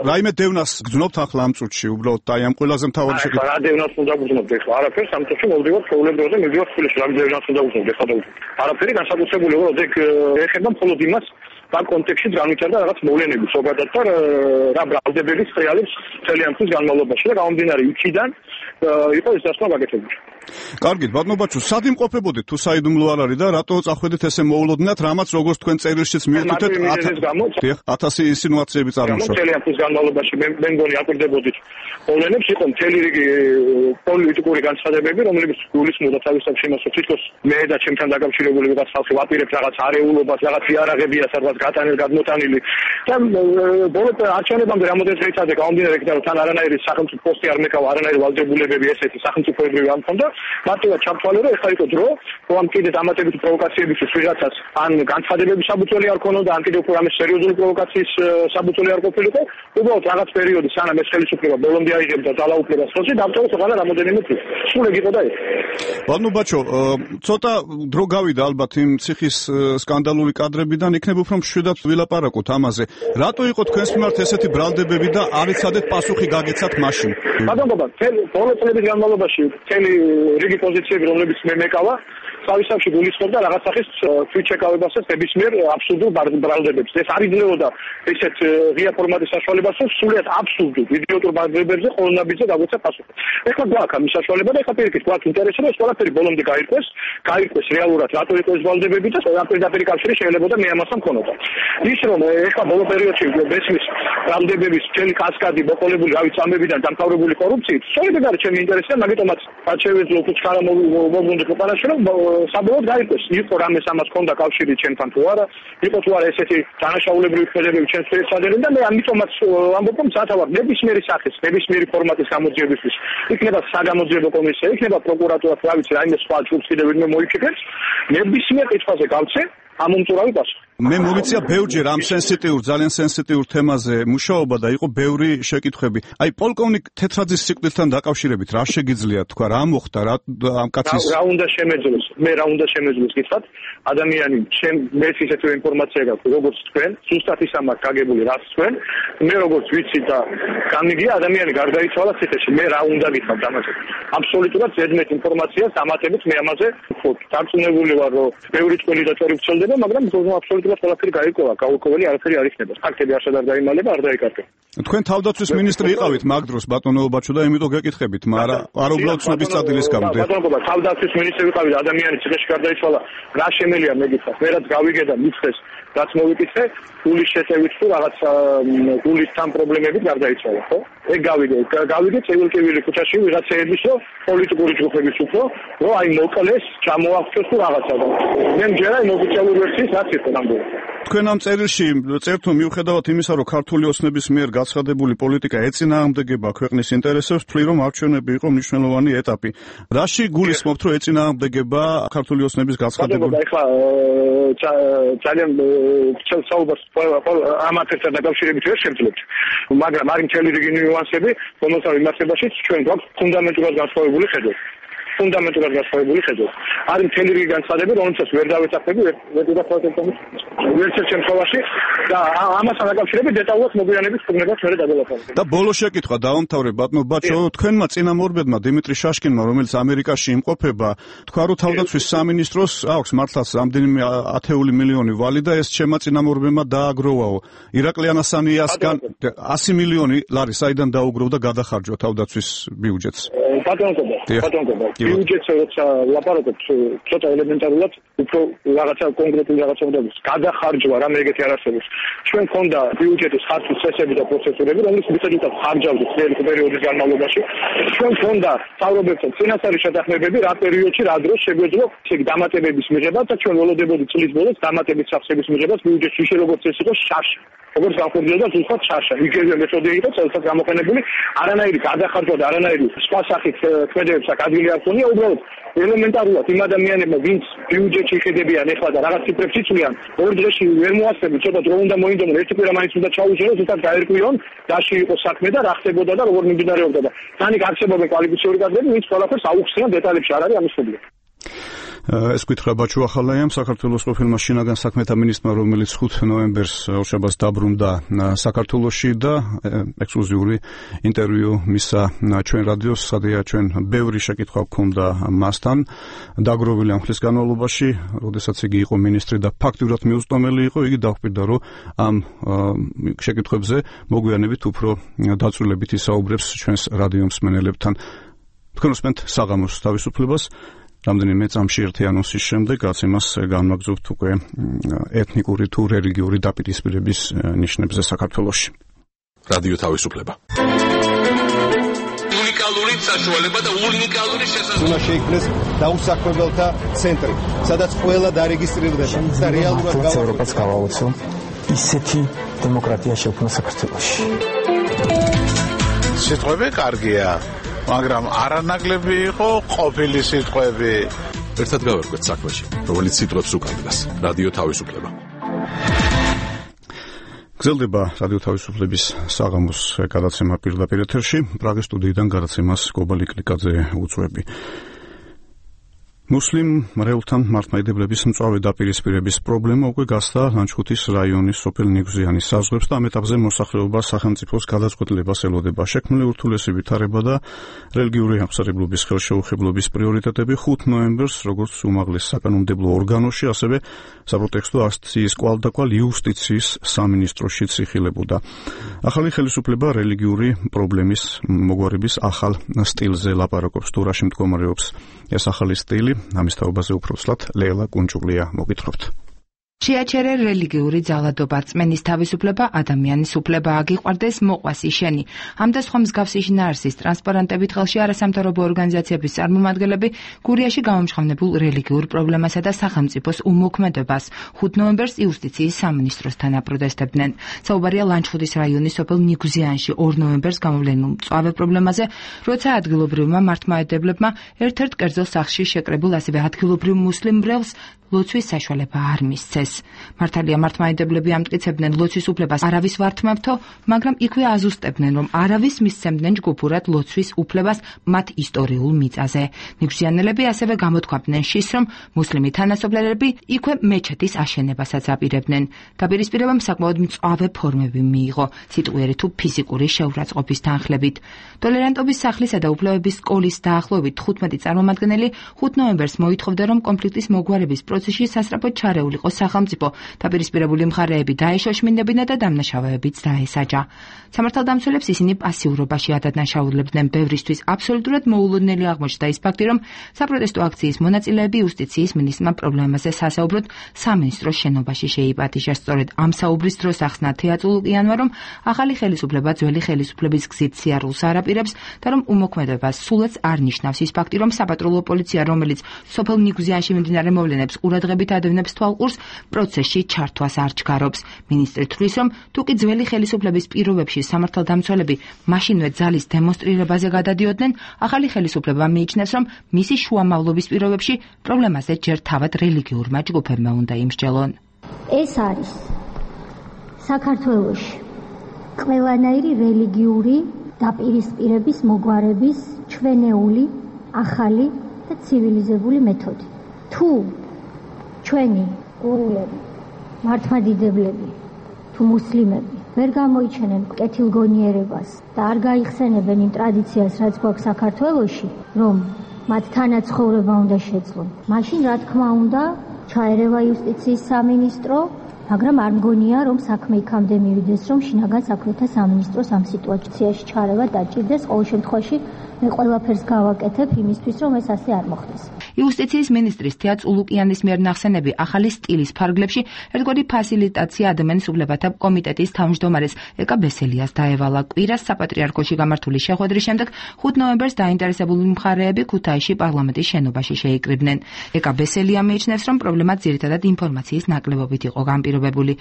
რაიმე დევნას გძნობთ ახლა ამ წუთში, უბრალოდ აი ამ ყველაზე მთავარი შეკითხვა. რა დევნას უნდა გძნობთ ახლა? არაფერს, ამ წუთში მოვდივარ ჩვეულებრივზე, მივდივარ თბილისში, რა დევნას უნდა გძნობთ ახლა? არაფერი განსაკუთრებული იყო, ეგ ეხება მხოლოდ იმას, ამ კონტექსტში განვითარდა რაღაც მოვლენები ზოგადად და რა ბრალდებების რეალებს მთელი ამ წლის განმავლობაში და გამომდინარე იქიდან იყო ეს დასკვნა გაკეთებული. კარგით, ბატონო ბაჩო, სად იმყოფებოდით თუ საიდუმლო არ არის და რატო წახვედით ესე მოულოდნელად, რამაც როგორც თქვენ წერილშიც მიუთითეთ 1000 ინსინუაციები წარმოშვა. მთელი ამ წლის განმავლობაში მე მგონი აკვირდებოდით მოვლენებს, იყო მთელი რიგი პოლიტიკური განცხადებები, რომლებიც გულისხმობდა თავისთავად იმას, რომ თითქოს მე და ჩემთან დაკავშირებული ვიღაც ხალხი ვაპირებთ რაღაც არეულობას, რაღაც იარაღებია სადღაც გატანილ გადმოტანილი და ბოლო არჩევნებამდე რამოდენიც რეიცადე გამომდინარე იქიდან რომ თან არანაირი სახელმწიფო პოსტი არ მეკავა, არანაირი ვალდებულებები ესეთი სახელმწიფოებრივი არ მქონდა. მარტივად ჩამთვალე რომ ეხლა იყო დრო, რომ კიდე დამატებითი პროვოკაციებისთვის ვიღაცას ან განცხადებების საბუთველი არ ქონოდა, ან კიდე უფრო რამე სერიოზული პროვოკაციის საბუთველი არ ყოფილიყო, უბრალოდ რაღაც პერიოდი სანამ ეს ხელისუფლება ბოლომდე აიღებდა ძალაუფლებას ხელში, დამტოვეს ყველა რამოდენიმე წელი. სულ ეგ იყო და ეს. ბატონო ბაჩო, ცოტა დრო გავიდა ალბათ იმ ციხის სკანდალური კადრებიდან, იქნება უფრო მშვიდად ვილაპარაკოთ ამაზე. რატო იყო თქვენს მიმართ ესეთი ბრალდებები და არ იცადეთ პასუხი გაგეცათ მაშინ? ბატონო, ბოლო წლების განმავლობაში მთელი რიგი პოზიციები, რომლებიც მე მეკავა, თავისთავად გულისხმობდა რაღაც სახის თვითშეკავებასაც ნებისმიერ აბსურდულ ბრალდებებს. ეს არ იძლეოდა ესეთ ღია ფორმატის საშუალებას, რომ სრულიად აბსურდულ იდიოტურ ბრალდებებზე ყოველნაბიჯზე დაგვეცა პასუხი. ეხლა გვაქვს ამის საშუალება და ეხლა პირიქით გვაქვს ინტერესი, რომ ეს ყველაფერი ბოლომდე გაირკვეს რეალურად რატო იყო ეს ბრალდებები და პირდაპირ კავშირი შეიძლება მე ამასთან მქონოდა. ის რომ ეხლა ბოლო პერიოდში მესმის ბრალდებების მთელი კასკადი მოყოლებული რავი წამებიდან დამთავრებული კორუფციით, სწორედ ეგ არის ჩემი ინტერესი და მაგიტომაც რაც შევეძლო უცხარა მოგვუნდა ქვეყანაში რომ საბოლოოდ გაირკვეს, იყო რამეს ამას ჰქონდა კავშირი ჩემთან თუ არა, იყო თუ არა ესეთი დანაშაულებრივი ქმედებები ჩვენს ფერცადერენ და მე ამიტომაც ამბობ რომ სათავარ ნებისმიერი სახის, ნებისმიერი ფორმატის გამოძიებისთვის, იქნება საგამოძიებო კომისია, იქნება პროკურატურა, რა ვიცი, რაიმე სხვა ჯგუფს კიდევ ვინმე მოიქცეს, ნებისმიერ კითხვაზე გავცე ამომწურავი პასუხი. მე მოვიცია ბევრჯერ ამ ძალიან სენსიტიურ თემაზე მუშაობა და იყო ბევრი შეკითხვები. აი პოლკოვნიკ თეთრაძის სიკვდილთან დაკავშირებით რა შეგიძლიათ თქვა, რა მოხდა ამ კაცის? რა უნდა შემეძლოს? მე რა უნდა შემეძლოს გითხრათ? ადამიანი მეც ისეთივე ინფორმაცია გაქვს, როგორც თქვენ, ზუსტად ის ამას გაგებული რაც თქვენ. მე როგორც ვიცი და გამიგია ადამიანი გარდაიცვალა ციხეში. მე რა უნდა გითხრათ ამაზე? აბსოლუტურად ზედმეტ ინფორმაციას ამატებით მე ამაზე ვთქვი. დარწმუნებული ვარ, რომ ბევრი წელი და წორი ვცელდება, მაგრამ აბსოლუტურად ყველაფერი გაირკვევა, გაურკვეველი არაფერი არ იქნება. ფაქტები არც არ დაიმალება, არ დაიკარგა. თქვენ თავდაცვის მინისტრი იყავით მაგ დროს ბატონო ბაჩო და იმიტომ გეკითხებით, მაგრამ არ უბრალოდ ცნობის წადილის გამო. ბატონო, თავდაცვის მინისტრი ვიყავი, ადამიანი ციხეში გარდაიცვალა, რა შემელია მე გითხრათ? მე რაც გავიგე და მიწეს, რაც მოვიკითხე, გულის შეწევით თუ რაღაც გულის თან პრობლემებით გარდაიცვალა, ხო? ეგ გავიგე წევილ-კივილი ქუჩაში ვიღაცეების რომ პოლიტიკური ჯგუფების უფრო, რომ აი მოკლეს, ჩამოაღწიოს თუ რაღაცა. მე მჯერა იმ ოფიციალური ვერსიის რაც იყო ნამდვილად. თქვენ ამ წერილში წერთ რომ მიუხედავად იმისა, რომ ქართული ოცნების მიერ გაცხადებული პოლიტიკა ეწინააღმდეგება ქვეყნის ინტერესებს, თვლი რომ არჩევნები იყო მნიშვნელოვანი ეტაპი. რაში გულისხმობთ, რომ ეწინააღმდეგება ქართული ოცნების გაცხადებული? ეხლა ძალიან საუბარს ამათთან დაკავშირებით ვერ შევძლებთ, მაგრამ არის მთელი რიგი ნიუანსები, რომელსაც მიმართებაშიც ჩვენ გვაქვს ფუნდამენტურად განსხვავებული ხედვა. არის მთელი რიგი განცხადები, რომელსაც ვერ დავეცახები, ვერცერთ შემთხვევაში და ამასთან დაკავშირებით დეტალურად მოგვიანებით ხმებას ვერ დაგელაპარაკებთ. და ბოლო შეკითხვა დავამთავრებ ბატონო ბაჩო, თქვენმა წინამორბედმა დიმიტრი შაშკინმა, რომელიც ამერიკაში იმყოფება, თქვა რომ თავდაცვის სამინისტროს აქვს მართლაც რამდენიმე 10 მილიონი ვალი და ეს ჩემმა წინამორბედმა დააგროვაო. ირაკლი ანასანიასგან 100 მილიონი ლარი საიდან დაუგროვდა გადახარჯვა თავდაცვის ბიუჯეტს? ბატონო, ბიუჯეტზე როცა ლაპარაკობთ, ცოტა ელემენტარულად უფრო რაღაცა კონკრეტული რაღაცა უნდა იყოს. გადახარჯვა რამე ეგეთი არ არსებობს. ჩვენ მქონდა ბიუჯეტის ხარჯვის წესები და პროცედურები, რომლის მიხედვითაც ხარჯავდა წელი პერიოდის განმავლობაში. ჩვენ მქონდა თავრობებთან წინასწარი შეთანხმებები, რა პერიოდში, რა დროს შეგვეძლო ეგ დამატებების მიღება და ჩვენ ველოდებოდი წლის ბოლოს დამატების სახსების მიღებას ბიუჯეტში როგორც ეს იყო შაში. როგორც განხორციელდა ზუსტად შაშა. იგივე მეთოდები იყო წელსაც გამოყენებული, არანაირი გადახარჯვა და არანაირი სხვა სახის ქმედებებს აქ ადგილი არ ქონია, უბრალოდ ელემენტარულად იმ ადამიანებმა, ვინც ბიუჯეტში შეხედებიან ეხლა და რაღაც ციფრებს იცვლიან, ორ დღეში ვერ მოასწრებთ, ცოტა დრო უნდა მოინდომონ, ერთი კვირა მაინც უნდა ჩაუჭეროს, ზუსტად გაერკვიონ, რაში იყო საქმე და რა ხდებოდა და როგორ მიმდინარეობდა და თან იქ არსებობენ კვალიფიციური კადრები, ვინც ყველაფერს აუხსნიან, დეტალებში არ არის ამის პრობლემა. ეს გითხრა ბაჩუ ახალაიამ, საქართველოს ყოფილმა შინაგან საქმეთა მინისტრმა, რომელიც 5 ნოემბერს ორშაბათს დაბრუნდა საქართველოში და ექსკლუზიური ინტერვიუ მისცა ჩვენ რადიოს, სადაც ჩვენ ბევრი შეკითხვა გქონდა მასთან, დაგროვილი ამ ხნის განმავლობაში, როდესაც იგი იყო მინისტრი და ფაქტიურად მიუწვდომელი იყო, იგი დაუკვირდა, რომ ამ შეკითხვებზე მოგვიანებით უფრო დაწვრილებით ისაუბრებს ჩვენს რადიო მსმენელებთან. თქვენ უსმენთ საღამოს თავისუფლებას. რამდენიმე წამში ერთი ანონსის შემდეგ რაც იმას განმაგზავნებთ უკვე ეთნიკური თუ რელიგიური დაპირისპირების ნიშნებზე საქართველოში. რადიო თავისუფლება. უნიკალური საშუალება და უნიკალური შესაძლებლობა. უნდა შეიქმნეს დაუსაქმებელთა ცენტრი, სადაც ყველა დარეგისტრირდება და რეალურად ევროპას გავაოცო ისეთი დემოკრატია შექმნა საქართველოში. სიტყვები კარგია. მაგრამ არანაკლები იყო ყოფილი სიტყვები. ერთად გავერკვეთ საქმეში, რომელიც სიტყვებს უკანდას. რადიო თავისუფლება. გრძელდება რადიო თავისუფლების საღამოს გადაცემა პირდაპირ ეთერში. პრაღის სტუდიიდან გადაცემას გობალი კლიკაძე უწვევი. მუსლიმ მრევლთან მართლმადიდებლების მწვავე დაპირისპირების პრობლემა უკვე გასცა ლანჩხუთის რაიონის სოფელ ნიგზიანის საზღვრებს და ამ ეტაპზე მოსახლეობა სახელმწიფოს გადაწყვეტილებას ელოდება. შექმნილი ურთულესი ვითარება და რელიგიური აღმსარებლობის ხელშეუხებლობის პრიორიტეტები 5 ნოემბერს როგორც უმაღლეს საკანონმდებლო ორგანოში, ასევე საპროტესტო აქციის კვალდაკვალ იუსტიციის სამინისტროშიც იხილებოდა. ახალი ხელისუფლება რელიგიური პრობლემის მოგვარების ახალ სტილზე ლაპარაკობს, თუ რაში მდგომარეობს ეს ახალი სტილი. ამის თაობაზე უფრო ცლად ლელა კუნჭულია მოგითხრობთ. შეაჩერე რელიგიური ძალადობა, რწმენის თავისუფლება, ადამიანის უფლება აგიყვარდეს, მოყვას იშენი. ამ და სხვა მსგავსი შინაარსის ტრანსპარენტებით ხელში არასამთავრობო ორგანიზაციების წარმომადგენლები გურიაში გამომჟღავნებულ რელიგიურ პრობლემასა და სახელმწიფოს უმოქმედებას 5 ნოემბერს იუსტიციის სამინისტროსთან აპროტესტებდნენ. საუბარია ლანჩხუთის რაიონის სოფელ ნიგზიანში 2 ნოემბერს გამოვლენილ მწვავე პრობლემაზე, როცა ადგილობრივმა მართლმადიდებლებმა ერთ-ერთ კერძო სახლში შეკრებულ ასევე ადგილობრივ მუსლიმ მრევლს ლოცვის საშუალება არ მისცეს. მართალია მართლმადიდებლები ამტკიცებდნენ ლოცვის უფლებას არავის ვართმევთო, მაგრამ იქვე აზუსტებდნენ, რომ არავის მისცემდნენ ჯგუფურად ლოცვის უფლებას მათ ისტორიულ მიწაზე. ნიგზიანელები ასევე გამოთქვამდნენ შის, რომ მუსლიმი თანასოფლელები იქვე მეჩეთის აშენებასაც აპირებდნენ. დაპირისპირებამ საკმაოდ მწვავე ფორმები მიიღო, სიტყვიერი თუ ფიზიკური შეურაცხყოფის თანხლებით. ტოლერანტობის სახლისა და უფლებების სკოლის დაახლოებით 15 წარმომადგენელი 5 ნოემბერს მოითხოვდა, რომ კონფლიქტის მოგვარების პროცესში სასწრაფოდ ჩარეულიყო სახელმწიფო, დაპირისპირებული მხარეები დაეშოშმინდებინა და დამნაშავეებიც დაესაჯა. სამართალდამცველებს ისინი პასიურობაში ადანაშაულებდნენ, ბევრისთვის აბსოლუტურად მოულოდნელი აღმოჩნდა ის ფაქტი, რომ საპროტესტო აქციის მონაწილეები იუსტიციის მინისტრმა პრობლემაზე სასაუბროდ სამინისტროს შენობაში შეიპატიჟა. სწორედ ამ საუბრის დროს ახსნა თეატრულიანმა, რომ ახალი ხელისუფლება ძველი ხელისუფლების გზით სიარულს არაპირებს და რომ უმოქმედებას სულაც არ ნიშნავს ის ფაქტი, რომ საპატრულო პოლიცია, რომელიც სოფელ ნიგზიანში მიმდინარე მოვლენებს ყურადღებით ადევნებს თვალყურს, პროცესში ჩართვას არ ჩქარობს. მინისტრი თვლის, რომ თუკი ძველი ხელისუფლების პირობებში სამართალდამცველები მაშინვე ძალის დემონსტრირებაზე გადადიოდნენ, ახალი ხელისუფლება მიიჩნევს, რომ მისი შუამავლობის პირობებში პრობლემაზე ჯერ თავად რელიგიურმა ჯგუფებმა უნდა იმსჯელონ. ეს არის საქართველოში ყველანაირი რელიგიური დაპირისპირების მოგვარების ჩვენეული, ახალი და ცივილიზებული მეთოდი. თუ ჩვენი გურულები, მართლმადიდებლები თუ მუსლიმები ვერ გამოიჩენენ კეთილგონიერებას და არ გაიხსენებენ იმ ტრადიციას, რაც გვაქვს საქართველოში, რომ მათ თანაცხოვრება უნდა შეძლონ, მაშინ რა თქმა უნდა ჩაერევა იუსტიციის სამინისტრო, მაგრამ არ მგონია, რომ საქმე იქამდე მივიდეს, რომ შინაგან საქმეთა სამინისტროს ამ სიტუაციაში ჩარევა დაჭირდეს. ყოველ შემთხვევაში მე ყველაფერს გავაკეთებ იმისთვის, რომ ეს ასე არ მოხდეს. იუსტიციის მინისტრის თეა წულუკიანის მიერ ნახსენები ახალი სტილის ფარგლებში ერთგვარი ფასილიტაცია ადამიანის უფლებათა კომიტეტის თავმჯდომარეს ეკა ბესელიას დაევალა. კვირას საპატრიარქოში გამართული შეხვედრის შემდეგ 5 ნოემბერს დაინტერესებული მხარეები ქუთაისში პარლამენტის შენობაში შეიკრიბნენ. ეკა ბესელია მიიჩნევს, რომ პრობლემა ძირითადად ინფორმაციის ნაკლებობით იყო განპირობებული. დამკვირვებული.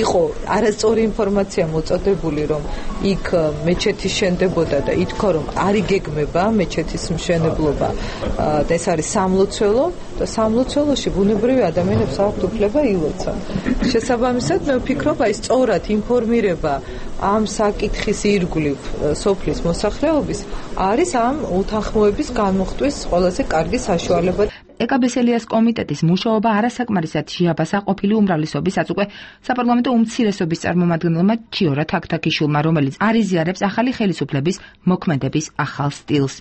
იყო არასწორი ინფორმაცია მოწოდებული, რომ იქ მეჩეთი შენდებოდა და ითქვა, რომ არ იგეგმება მეჩეთის მშენებლობა და ეს არის სამლოცველო და სამლოცველოში ბუნებრივი ადამიანებს აქვთ უფლება ილოცონ. შესაბამისად, მე ვფიქრობ, აი სწორად ინფორმირება ამ საკითხის ირგვლივ სოფლის მოსახლეობის არის ამ უთანხმოების განმოხტვის ყველაზე კარგი საშუალება. ეკაბესელიას კომიტეტის მუშაობა არასაკმარისად შეაბასა ყოფილი უმრავლესობის უკვე საპარლამენტო უმცირესობის წარმომადგენელმა ჩიორა თაქთაქიშვილმა, რომელიც არიზიარებს ახალი ხელისუფლების მოქმედების ახალ სტილს.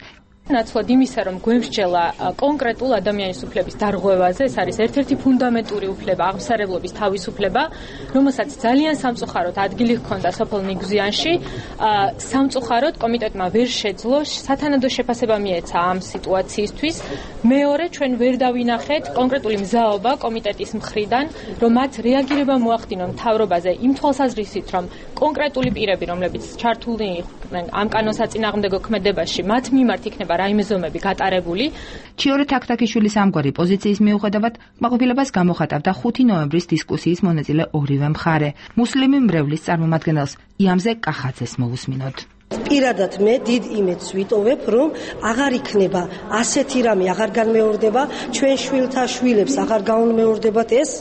ნაცვლად იმისა, რომ გვემსჯელა კონკრეტულ ადამიანის უფლების დარღვევაზე, ეს არის ერთ-ერთი ფუნდამენტური უფლება, აღმსარებლობის თავისუფლება, რომელსაც ძალიან სამწუხაროდ ადგილი ჰქონდა სოფელ ნიგზიანში. სამწუხაროდ კომიტეტმა ვერ შეძლო სათანადო შეფასება მიეცა ამ სიტუაციისთვის. მეორე, ჩვენ ვერ დავინახეთ კონკრეტული მზაობა კომიტეტის მხრიდან, რომ მათ რეაგირება მოახდინონ მთავრობაზე იმ თვალსაზრისით, რომ კონკრეტული პირები, რომლებიც ჩართული იყვნენ ამ კანონსაწინააღმდეგო ქმედებაში, მათ მიმართ იქნება რაიმე ზომები გატარებული. ჩიორა თაქთაქიშვილის ამგვარი პოზიციის მიუხედავად კმაყოფილებას გამოხატავდა 5 ნოემბრის დისკუსიის მონაწილე ორივე მხარე. მუსლიმი მრევლის წარმომადგენელს იამზე კახაძეს მოусმინოთ. პირადად მე დიდ იმედს ვიტოვებ, რომ აღარ იქნება ასეთი რამე, აღარ განმეორდება ჩვენ შვილთა შვილებს, აღარ გაუნმეორდებათ ეს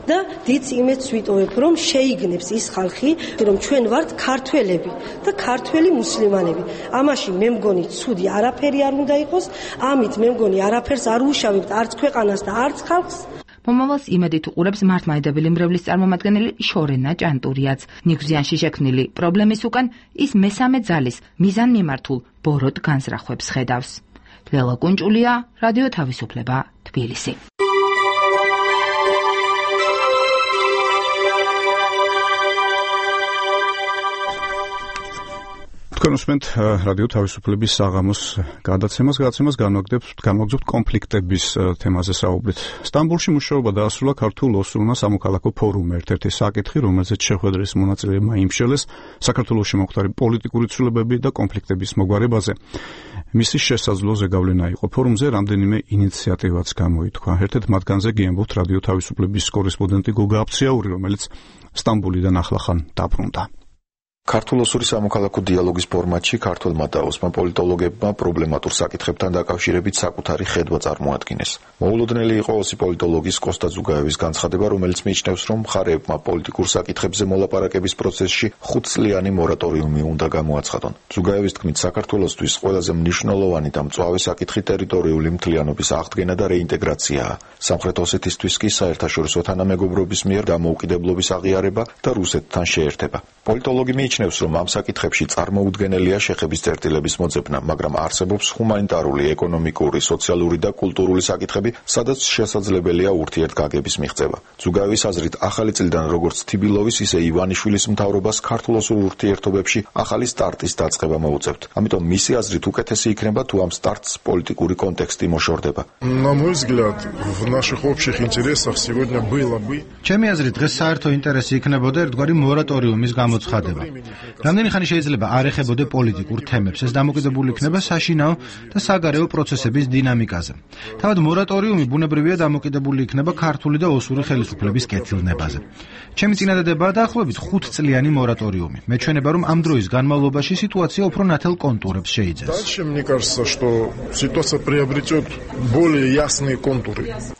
და დიდ იმედს ვიტოვებ, რომ შეიგნებს ის ხალხი, რომ ჩვენ ვართ ქართველები და ქართველი მუსლიმანები. ამაში მე მგონი ცუდი არაფერი არ უნდა იყოს, ამით მე მგონი არაფერს არ უშავებთ არც ქვეყანას და არც ხალხს. მომავალს იმედით უყურებს მართლმადიდებელი მრევლის წარმომადგენელი შორენა ჭანტურიაც. ნიგზიანში შექმნილი პრობლემის უკან ის მესამე ძალის მიზანმიმართულ ბოროტ განზრახვებს ხედავს. ლელა კუნჭულია, რადიო თავისუფლება, თბილისი. კონსუმენტ რადიო თავისუფლების საღამოს გადაცემას განვაგრძობთ კონფლიქტების თემაზე საუბრით. სტამბოლში მუშაობა დაასრულა ქართულ ოსურმა სამოქალაქო ფორუმმა, ერთ-ერთი საკითხი, რომელზეც შეხვედრის მონაწილეებმა იმშელეს საქართველოში მომხდარი პოლიტიკური ცვლილებები და კონფლიქტების მოგვარებაზე. მისი შესაძლო ზეგავლენა იყო. ფორუმზე რამდენიმე ინიციატივაც გამოითქვა. ერთ-ერთ მათგანზე გიამბობთ რადიო თავისუფლების კორესპონდენტი გოგა აფციაური, რომელიც სტამბოლიდან ახლახან დაბრუნდა. ქართულ-ოსური სამოქალაქო დიალოგის ფორმატში ქართველმა და ოსმან პოლიტოლოგებმა პრობლემატურ საკითხებთან დაკავშირებით საკუთარი ხედვა წარმოადგინეს. მოულოდნელი იყო ოსი პოლიტოლოგის კოსტა ზუგაევის განცხადება, რომელიც მიიჩნევს, რომ მხარეებმა პოლიტიკურ საკითხებზე მოლაპარაკების პროცესში 5 წლიანი მორატორიუმი უნდა გამოაცხადონ. ზუგაევის თქმით, საქართველოსთვის ყველაზე მნიშვნელოვანი და მწვავე საკითხი ტერიტორიული მთლიანობის აღდგენა და რეინტეგრაციაა. სამხრეთ ოსეთისთვის კი საერთაშორისო თანამეგობრობის მიერ დამოუკიდებლობის აღიარება და რუსეთთან შეერთება. პოლიტოლოგი მიიჩნევს, რომ ამ საკითხებში წარმოუდგენელია შეხების წერტილების მოძებნა, მაგრამ არსებობს ჰუმანიტარული, ეკონომიკური, სოციალური და კულტურული საკითხები, სადაც შესაძლებელია ურთიერთგაგების მიღწევა. ზუგაევის აზრით, ახალი წლიდან როგორც თიბილოვის, ისე ივანიშვილის მთავრობას ქართულ-ოსურ ურთიერთობებში ახალი სტარტის დაწყება მოუწევთ. ამიტომ მისი აზრით უკეთესი იქნება, თუ ამ სტარტს პოლიტიკური კონტექსტი მოშორდება. ჩემი აზრით, დღეს საერთო ინტერესი იქნებოდა ერთგვარი მორატორიუმის გამოცხადება. რამდენი ხანი შეიძლება არ ეხებოდე პოლიტიკურ თემებს, ეს დამოკიდებული იქნება საშინაო და საგარეო პროცესების დინამიკაზე. თავად მორატორიუმი ბუნებრივია დამოკიდებული იქნება ქართული და ოსური ხელისუფლების კეთილნებაზე. ჩემი წინადადებაა დაახლოებით 5 წლიანი მორატორიუმი. მეჩვენება, რომ ამ დროის განმავლობაში სიტუაცია უფრო ნათელ კონტურებს შეიძენს.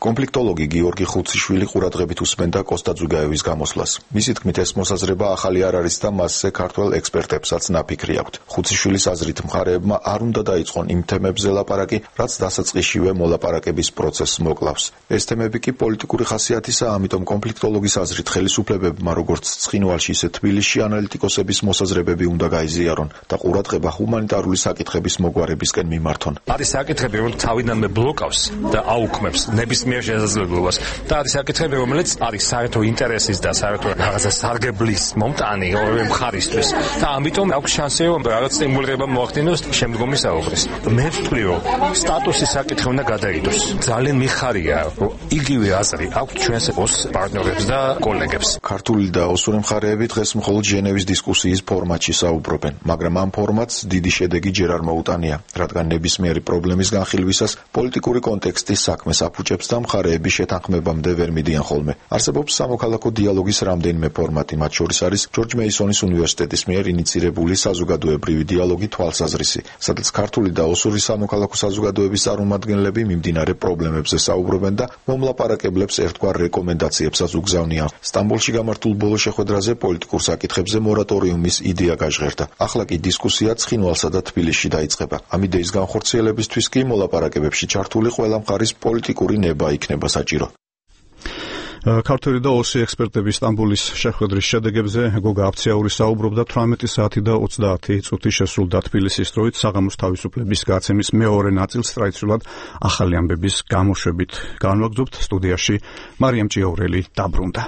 კონფლიქტოლოგი გიორგი ხუციშვილი ყურადღებით უსმენდა კოსტა ზუგაევის გამოსვლას. მისი თქმით, ეს მოსაზრება ახალი არ არის და მასზე ქართველ ექსპერტებსაც ნაფიქრი აქვთ. ხუციშვილის აზრით, მხარეებმა არ უნდა დაიწყონ იმ თემებზე ლაპარაკი, რაც დასაწყისშივე მოლაპარაკების პროცესს მოკლავს. ეს თემები კი პოლიტიკური ხასიათისაა, ამიტომ კონფლიქტოლოგის აზრით ხელისუფლებებმა როგორც ცხინვალში, ისე თბილისში ანალიტიკოსების მოსაზრებები უნდა გაიზიარონ და ყურადღება ჰუმანიტარული საკითხების მოგვარებისკენ მიმართონ. არის საკითხები, რომელიც თავიდანვე ბლოკავს და აუქმებს ნებისმიერ შესაძლებლობას და არის საკითხები, რომელიც არის საერთო ინტერესის და საერთო რაღაცა სარგებლის მომტანი ორივე მხარის მისთვის და ამიტომ აქვს შანსი რომ რაღაც სტიმულირება მოახდინოს შემდგომი საუბრის. მე ვთვლი რომ სტატუსის საკითხი უნდა გადაიდოს. ძალიან მიხარია რომ იგივე აზრი აქვს ჩვენს პარტნიორებს და კოლეგებს. ქართული და ოსური მხარეები დღეს მხოლოდ ჟენევის დისკუსიის ფორმატში საუბრობენ, მაგრამ ამ ფორმატს დიდი შედეგი ჯერ არ მოუტანია, რადგან ნებისმიერი პრობლემის განხილვისას პოლიტიკური კონტექსტის საქმეს აფუჭებს და მხარეების შეთანხმებამდე ვერ მიდიან ხოლმე. არსებობს სამოქალაქო დიალოგის რამდენიმე ფორმატი, მათ შორის არის ჯორჯ მეისონის უნივერსიტეტის მიერ ინიცირებული საზოგადოებრივი დიალოგი თვალსაზრისი, სადაც ქართული და ოსური სამოქალაქო საზოგადოების წარმომადგენლები მიმდინარე პრობლემებზე საუბრობენ და მომლაპარაკებლებს ერთგვარ რეკომენდაციებსაც უგზავნიან. სტამბოლში გამართულ ბოლო შეხვედრაზე პოლიტიკურ საკითხებზე მორატორიუმის იდეა გაჟღერდა. ახლა კი დისკუსია ცხინვალსა და თბილისში დაიწყება. ამ იდეის განხორციელებისთვის კი მოლაპარაკებებში ჩართული ყველა მხარის პოლიტიკური ნება იქნება საჭირო. ქართველი და ოსი ექსპერტები სტამბოლის შეხვედრის შედეგებზე გოგა აფციაური საუბრობდა 18 საათი და 30 წუთი შესრულდა თბილისის დროით საღამოს თავისუფლების გაცემის მეორე ნაწილს ტრადიციულად ახალი ამბების გამოშვებით. განვაგრძობთ სტუდიაში მარიამ ჭიაურელი დაბრუნდა.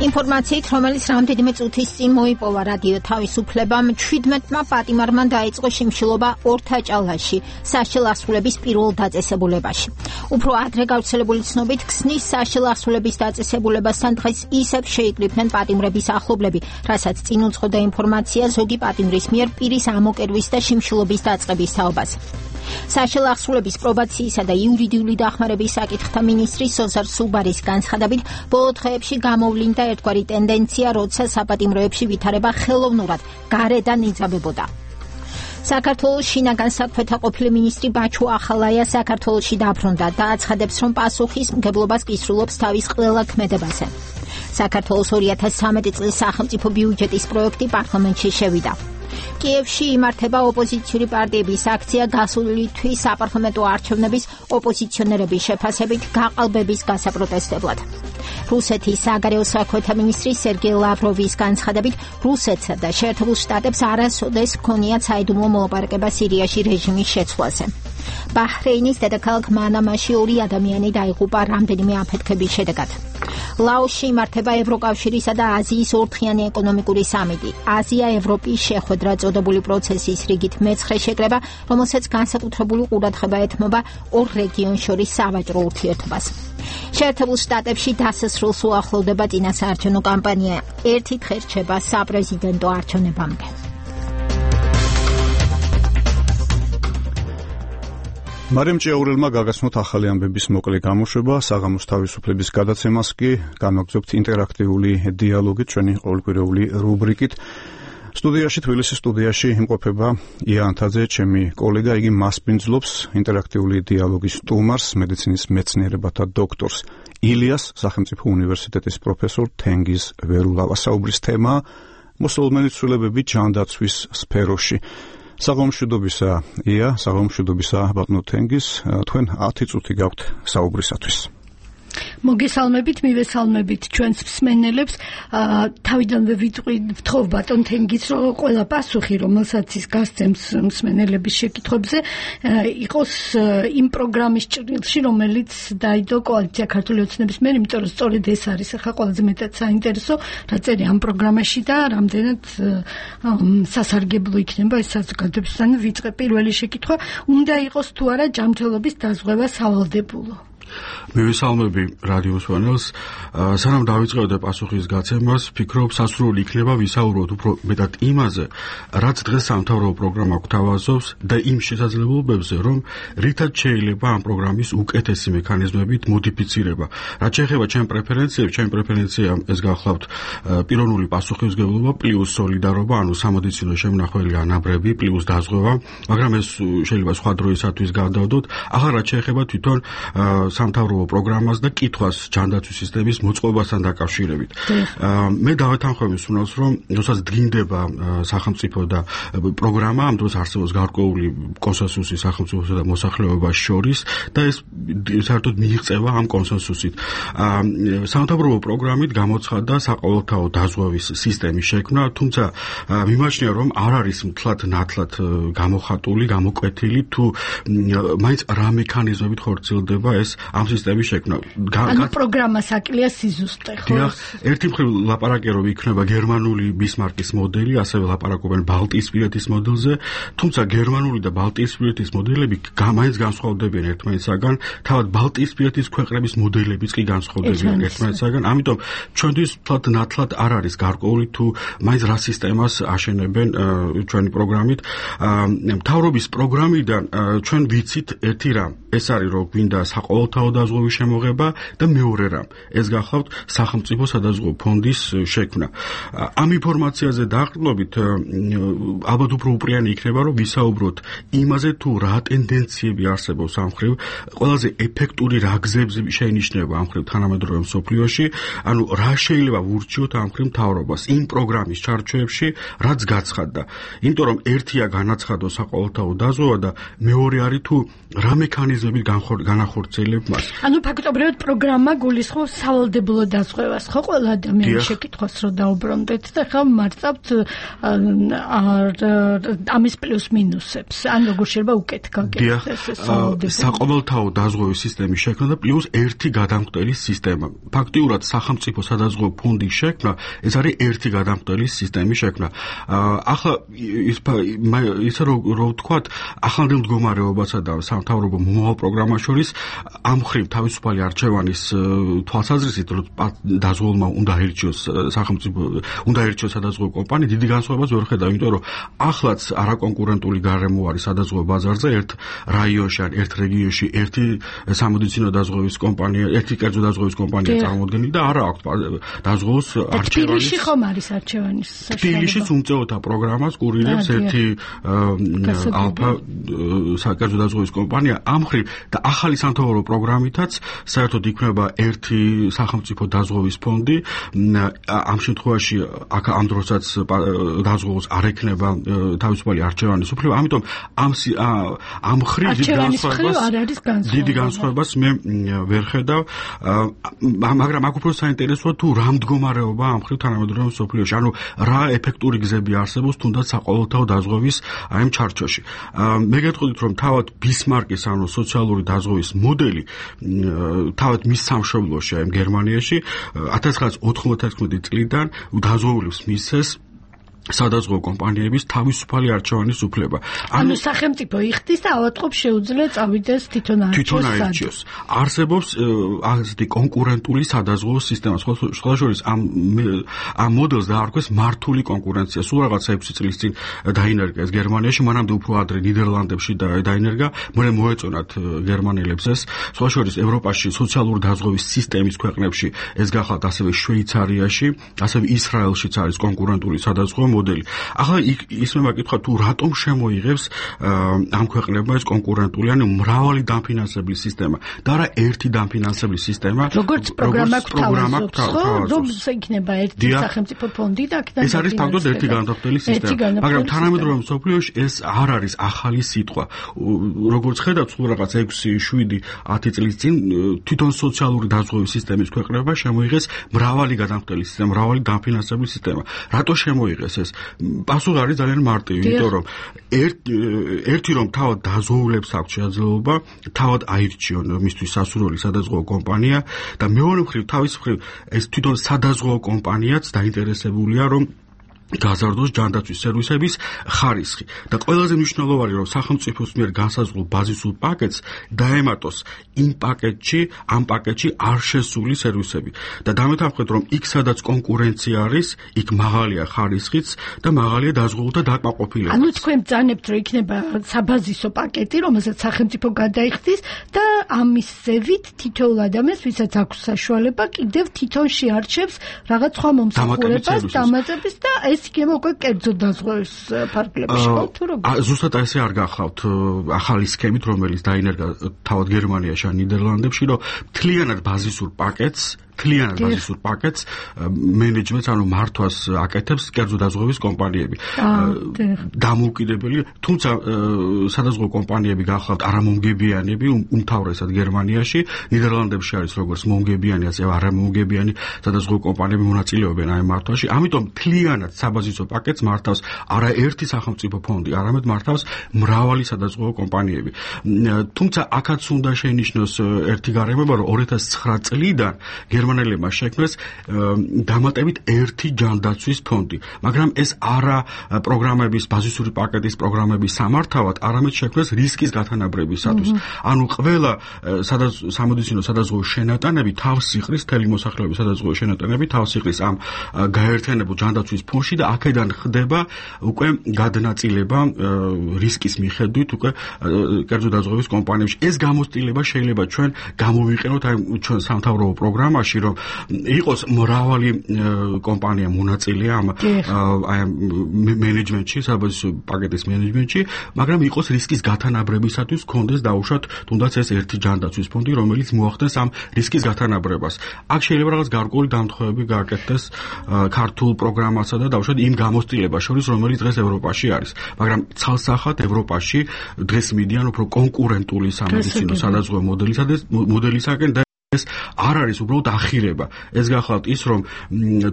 ინფორმაციით, რომელიც რამდენიმე წუთის წინ მოიპოვა რადიო თავისუფლებამ, 17-მა პატიმარმა დაიწყო შიმშილობა ორთაჭალაში, საშილ ასრულების პირველ დაწესებულებაში. უფრო ადრე გავრცელებული ცნობით, ქსნის საშილ ასრულების დაწესებულებასთან დღეს ისევ შეიკრიბნენ პატიმრების ახლობლები, რასაც წინ უძღოდა ინფორმაცია ზოგი პატიმრის მიერ პირის ამოკერვის და შიმშილობის დაწყების თაობას. საშილ ასრულების პრობაციისა და იურიდიული დახმარების საკითხთა მინისტრი სოზარ სუბარის განცხადებით, ბოლო დღეებში გამოვლინდა ერთგვარი ტენდენცია, როცა საპატიმროებში ვითარება ხელოვნურად გარედან იძაბებოდა. საქართველოს შინაგან საქმეთა ყოფილი მინისტრი ბაჩუ ახალაია საქართველოში დაბრუნდა და აცხადებს, რომ პასუხისმგებლობას კისრულობს თავის ყველა ქმედებაზე. საქართველოს 2013 წლის სახელმწიფო ბიუჯეტის პროექტი პარლამენტში შევიდა. კიევში იმართება ოპოზიციური პარტიების აქცია გასული თვის საპარლამენტო არჩევნების ოპოზიციონერების შეფასებით გაყალბების გასაპროტესტებლად. რუსეთის საგარეო საქმეთა მინისტრი სერგეი ლავროვის განცხადებით, რუსეთსა და შეერთებულ შტატებს არასოდეს ჰქონიათ საიდუმლო მოლაპარაკება სირიაში რეჟიმის შეცვლაზე. ბაჰრეინის დედაქალაქ მანამაში 2 ადამიანი დაიღუპა რამდენიმე აფეთქების შედეგად. ლაოსში იმართება ევროკავშირისა და აზიის ორთხიანი ეკონომიკური სამიტი. აზია-ევროპის შეხვედრა წოდებული პროცესის რიგით მეცხრე შეკრება, რომელსაც განსაკუთრებული ყურადღება ეთმობა ორ რეგიონს შორის სავაჭრო ურთიერთობას. შეერთებულ შტატებში დასასრულს უახლოვდება წინასაარჩევნო კამპანია. ერთი დღე რჩება საპრეზიდენტო არჩევნებამდე. მარიამ ჭიაურელმა გაგაცნოთ ახალი ამბების მოკლე გამოშვება, საღამოს თავისუფლების გადაცემას კი განვაგრძობთ ინტერაქტიული დიალოგი ჩვენი ყოველკვირეული რუბრიკით. სტუდიაში, თბილისის სტუდიაში იმყოფება ია ანთაძე, ჩემი კოლეგა, იგი მასპინძლობს ინტერაქტიული დიალოგის სტუმარს, მედიცინის მეცნიერებათა დოქტორს ილიას, სახელმწიფო უნივერსიტეტის პროფესორ თენგიზ ვერულავას. საუბრის თემაა მოსალოდნელი ცვლილებები ჯანდაცვის სფეროში. საღამომშვიდობისა ია, საღამომშვიდობისა ბატონო თენგიზ, თქვენ 10 წუთი გაქვთ საუბრისათვის. მოგესალმებით, მივესალმებით ჩვენს მსმენელებს. თავიდანვე ვთხოვ ბატონ თენგიზს, რომ ყველა პასუხი, რომელსაც ის გასცემს მსმენელების შეკითხვებზე, იყოს იმ პროგრამის ჭრილში, რომელიც დაიდო კოალიცია ქართული ოცნების მიერ, იმიტომ რომ სწორედ ეს არის ახლა ყველაზე მეტად საინტერესო, რა წერია ამ პროგრამაში და რამდენად სასარგებლო იქნება ეს საზოგადოებისგან. ვიწყე პირველი შეკითხვა, უნდა იყოს თუ არა ჯანმრთელობის დაზღვევა სავალდებულო? მივესალმები რადიოს ფანელს. სანამ დავიწყებდე პასუხის გაცემას, ვფიქრობ, სასურველი იქნება ვისაუბროთ უფრო მეტად იმაზე, რაც დღეს სამთავრობო პროგრამა გვთავაზობს და იმ შესაძლებლობებზე, რომ რითაც შეიძლება ამ პროგრამის უკეთესი მექანიზმებით მოდიფიცირება. რაც შეეხება ჩემ პრეფერენციებს, ჩემი პრეფერენცია ეს გახლავთ პიროვნული პასუხისმგებლობა პლუს სოლიდარობა, ანუ სამედიცინო შემნახველი ანაბრები პლუს დაზღვევა, მაგრამ ეს შეიძლება სხვა დროისათვის გადავდოთ. ახლა რაც შეეხება თვითონ სამთავრობო პროგრამას და კითხვას ჯანდაცვის სისტემის მოწყობასთან დაკავშირებით. მე დავეთანხმებ მსმენელს, რომ როდესაც დგინდება სახელმწიფო და პროგრამა, ამ დროს არსებობს გარკვეული კონსენსუსი სახელმწიფოსა და მოსახლეობას შორის და ეს საერთოდ მიიღწევა ამ კონსენსუსით. სამთავრობო პროგრამით გამოცხადდა საყოველთაო დაზღვევის სისტემის შექმნა, თუმცა მიმაჩნია, რომ არ არის მთლად გამოხატული, გამოკვეთილი თუ მაინც რა მექანიზმებით ხორციელდება ეს ამ სისტემის შექმნა. ანუ პროგრამა საკლია სიზუსტე, ხო? დიახ, ერთი მხრივ ლაპარაკია რომ იქნება გერმანული ბისმარკის მოდელი, ასევე ლაპარაკობენ ბალტიისპირეთის მოდელზე, თუმცა გერმანული და ბალტიისპირეთის მოდელები მაინც განსხვავდებიან ერთმანეთისაგან, თავად ბალტიისპირეთის ქვეყნების მოდებიც კი განსხვავდებიან ერთმანეთისაგან, ამიტომ ჩვენთვის თლად ნათლად არ არის გარკვეული თუ მაინც რა სისტემას აშენებენ ჩვენი პროგრამით. მთავრობის პროგრამიდან ჩვენ ვიცით ერთი რამ, ეს არის რომ გვინდა საყოველთაო დაზღვევის შემოღება და მეორე რამ, ეს გახლავთ სახელმწიფო სადაზღვევო ფონდის შექმნა. ამ ინფორმაციაზე დაყრდნობით ალბათ უფრო უპრიანი იქნება რომ ვისაუბროთ იმაზე თუ რა ტენდენციები არსებობს ამ მხრივ, ყველაზე ეფექტური რა გზები შეინიშნება ამ მხრივ თანამედროვე მსოფლიოში, ანუ რა შეიძლება ვურჩიოთ ამ მხრივ მთავრობას იმ პროგრამის ჩარჩოებში, რაც გაცხადდა. იმიტომ რომ ერთია განაცხადო საყოველთაო დაზღვევა და მეორე არის თუ რა მექანიზმები განახორციელებ მას. ანუ ფაქტობრივად პროგრამა გულისხმობს სავალდებულო დაზღვევას, ხო, ყველა ადამიანის შეკითხვას რო დაუბრუნდეთ და ხა მარწავთ ამის პლუს მინუსებს. ან როგორ შეიძლება უკეთ გაკეთდეს ეს სავალდებულო. საყოველთაო დაზღვევის სისტემის შექმნა და პლუს ერთი გადამხდელის სისტემა. ფაქტიურად სახელმწიფო სადაზღვევო ფონდის შექმნა, ეს არის ერთი გადამხდელის სისტემის შექმნა. ახლა ისე რომ ვთქვათ, ახლანდელ მდგომარეობასა და სამთავრობო მომავალ პროგრამას შორის ამ მხრივ თავისუფალი არჩევანის თვალსაზრისით დაზღვეულმა უნდა აირჩიოს სახელმწიფო, უნდა აირჩიოს სადაზღვევო კომპანია, დიდი განსხვავებას ვერ ხედავ, იმიტომ რომ ახლაც არაკონკურენტული გარემო არის სადაზღვევო ბაზარზე, ერთ რაიონში ან ერთ რეგიონში ერთი სამედიცინო დაზღვევის კომპანია, ერთი კერძო დაზღვევის კომპანია წარმოადგენილი და არა აქვს დაზღვევის არჩევანის. თბილისში ხომ არის არჩევანის საშუალება? თბილისშიც უმწეოთა პროგრამას კურირებს ერთი ალფა საკერძო დაზღვევის კომპანია. ამ მხრივ და ახალი სამთავრობო პროგრამითაც საერთოდ იქნება ერთი სახელმწიფო დაზღვევის ფონდი. ამ შემთხვევაში ამ დროსაც დაზღვეულს არ ექნება თავისუფალი არჩევანის უფლება, ამიტომ ამ მხრივ დიდი განსხვავებას მე ვერ ხედავ, მაგრამ აქ უფრო საინტერესოა თუ რა მდგომარეობა ამ მხრივ თანამედროვე მსოფლიოში, ანუ რა ეფექტური გზები არსებობს თუნდაც საყოველთაო დაზღვევის აი ამ ჩარჩოში. მე გეტყვით რომ თავად ბისმარკის ანუ სოციალური დაზღვევის მოდელი თავად მის სამშობლოში აი გერმანიაში 1996 წლიდან დაზღვეულებს მისცეს სადაზღვევო კომპანიების თავისუფალი არჩევანის უფლება. ანუ სახელმწიფო იხდის და ავადმყოფს შეუძლია წავიდეს თვითონ არჩიოს. არსებობს ასეთი კონკურენტული სადაზღვევო სისტემა. სხვა შორის ამ მოდელს დაარქვეს მართული კონკურენცია. სულ რაღაც 6 წლის წინ დაინერგა ეს გერმანიაში, მანამდე უფრო ადრე ნიდერლანდებში დაინერგა, მერე მოეწონათ გერმანელებს ეს. სხვა შორის ევროპაში სოციალური დაზღვევის სისტემის ქვეყნებში ეს გახლავთ ასევე შვეიცარიაში, ასევე ისრაელშიც არის კონკურენტული სადაზღვევო მოდელი. ახლა ისმება კითხვა თუ რატომ შემოიღებს ამ ქვეყნებმა ეს კონკურენტული, ანუ მრავალი დაფინანსებლის სისტემა და არა ერთი დაფინანსებლის სისტემა. როგორც პროგრამა გვთავაზობს, რომ იქნება ერთი სახელმწიფო ფონდი და აქედან ეს არის თავდადად ერთი განმტკიცებელი სისტემა. მაგრამ თანამედროვე მსოფლიოში ეს არ არის ახალი სიტყვა. როგორც ხედავთ, სულ რაღაც 6-7-10 წლის წინ თვითონ სოციალური დაზღვევის სისტემის ქვეყნებმა შემოიღეს მრავალი განმტკიცებელი სისტემა, მრავალი დაფინანსებლის სისტემა. რატო შემოიღეს? პასუხი არის ძალიან მარტივი, იმიტომ რომ ერთი რომ თავად დაზღვეულებს აქვს შესაძლებლობა თავად აირჩიონ მისთვის სასურველი სადაზღვევო კომპანია და მეორე მხრივ თავის მხრივ ეს თვითონ სადაზღვევო კომპანიაც დაინტერესებულია რომ გაზარდოს ჯანდაცვის სერვისების ხარისხი და ყველაზე მნიშვნელოვანი რომ სახელმწიფოს მიერ განსაზღვრულ ბაზისურ პაკეტს დაემატოს ამ პაკეტში არ შესული სერვისები და დამეთანხმდეთ რომ იქ სადაც კონკურენცია არის, იქ მაღალია ხარისხიც და მაღალია დაზღვეულთა დაკმაყოფილება. ანუ თქვენ ბრძანებთ რომ იქნება საბაზისო პაკეტი, რომელსაც სახელმწიფო გადაიხდის და ამის ზევით თითოეულ ადამიანს, ვისაც აქვს საშუალება, კიდევ თვითონ შეარჩევს რაღაც სხვა მომსახურებას, დამატების და ეს იქნება უკვე კერძო დაზღვევის ფარგლებში, ხო თუ როგორ? ზუსტად ესე არ გახლავთ ახალი სქემით, რომელიც დაინერგა თავად გერმანიაში ან ნიდერლანდებში, რომ მთლიანად ბაზისურ პაკეტს მთლიანად ბაზისურ პაკეტს მენეჯმენტს, ანუ მართვას აკეთებს კერძო დაზღვევის კომპანიები. დამოუკიდებელი, თუმცა სადაზღვევო კომპანიები გახლავთ არამომგებიანები, უმთავრესად გერმანიაში, ნიდერლანდებში არის როგორც მომგებიანი, ასევე არამომგებიანი სადაზღვევო კომპანიები მონაწილეობენ აი მართვაში. ამიტომ მთლიანად საბაზისო პაკეტს მართავს არა ერთი სახელმწიფო ფონდი, არამედ მართავს მრავალი სადაზღვევო კომპანიები. თუმცა აქაც უნდა შეინიშნოს ერთი გარემოება, რომ 2009 წლიდან გერმანელებმა შექმნეს დამატებით ერთი ჯანდაცვის ფონდი, მაგრამ ეს არა პროგრამების ბაზისური პაკეტის პროგრამების სამართავად, არამედ შექმნეს რისკის გათანაბრებისათვის. ანუ ყველა სამედიცინო სადაზღვევო შენატანები თავს იყრის, მთელი მოსახლეობის სადაზღვევო შენატანები თავს იყრის ამ გაერთიანებულ ჯანდაცვის ფონდში და აქედან ხდება უკვე გადანაწილება რისკის მიხედვით უკვე კერძო დაზღვევის კომპანიებში. ეს გამოცდილება შეიძლება ჩვენ გამოვიყენოთ აი ჩვენ სამთავრობო პროგრამაში, რომ იყოს მრავალი კომპანია მონაწილე ამ მენეჯმენტში, საბაზისო პაკეტის მენეჯმენტში, მაგრამ იყოს რისკის გათანაბრებისათვის გქონდეს დაუშვათ თუნდაც ეს ერთი ჯანდაცვის ფონდი, რომელიც მოახდენს ამ რისკის გათანაბრებას. აქ შეიძლება რაღაც გარკვეული დამთხევები გააკეთდეს ქართულ პროგრამასა და დაუშვათ იმ გამოცდილებას შორის, რომელიც დღეს ევროპაში არის. მაგრამ ცალსახად ევროპაში დღეს მიდიან უფრო კონკურენტული სამედიცინო სადაზღვევო მოდელისაკენ და ეს არ არის უბრალოდ ახირება. ეს გახლავთ ის, რომ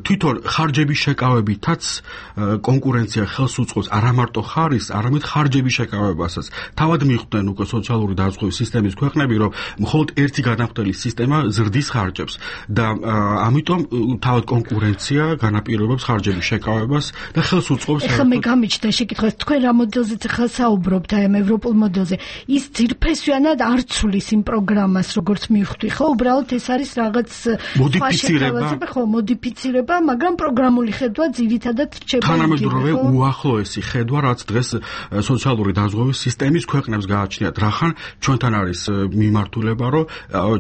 თვითონ ხარჯების შეკავებითაც კონკურენცია ხელს უწყობს არა მარტო ხარის, არამედ ხარჯების შეკავებასაც. თავად მიხვდნენ უკვე სოციალური დაზღვევის სისტემის ქვეყნები, რომ მხოლოდ ერთი განახდელი სისტემა ზრდის ხარჯებს და ამიტომ თავად კონკურენცია განაპირობებს ხარჯების შეკავებას და ხელს უწყობს. ეხლა მე გამიჩნდა შეკითხვა, თქვენ რა მოდელზეც ახლა საუბრობთ, აი ამ ევროპულ მოდელზე. ის ძირფესვიანად არ ცulis იმ პროგრამას, როგორც მივხვდი, ხო? უბრალოდ ეს არის რაღაც მოდიფიცირება, მაგრამ პროგრამული ხედვა ძირითადად რჩება. თანამედროვე უახლოესი ხედვა, რაც დღეს სოციალური დაზღვევის სისტემის ქვეყნებს გააჩნიათ. რახან ჩვენთან არის მიმართულება, რომ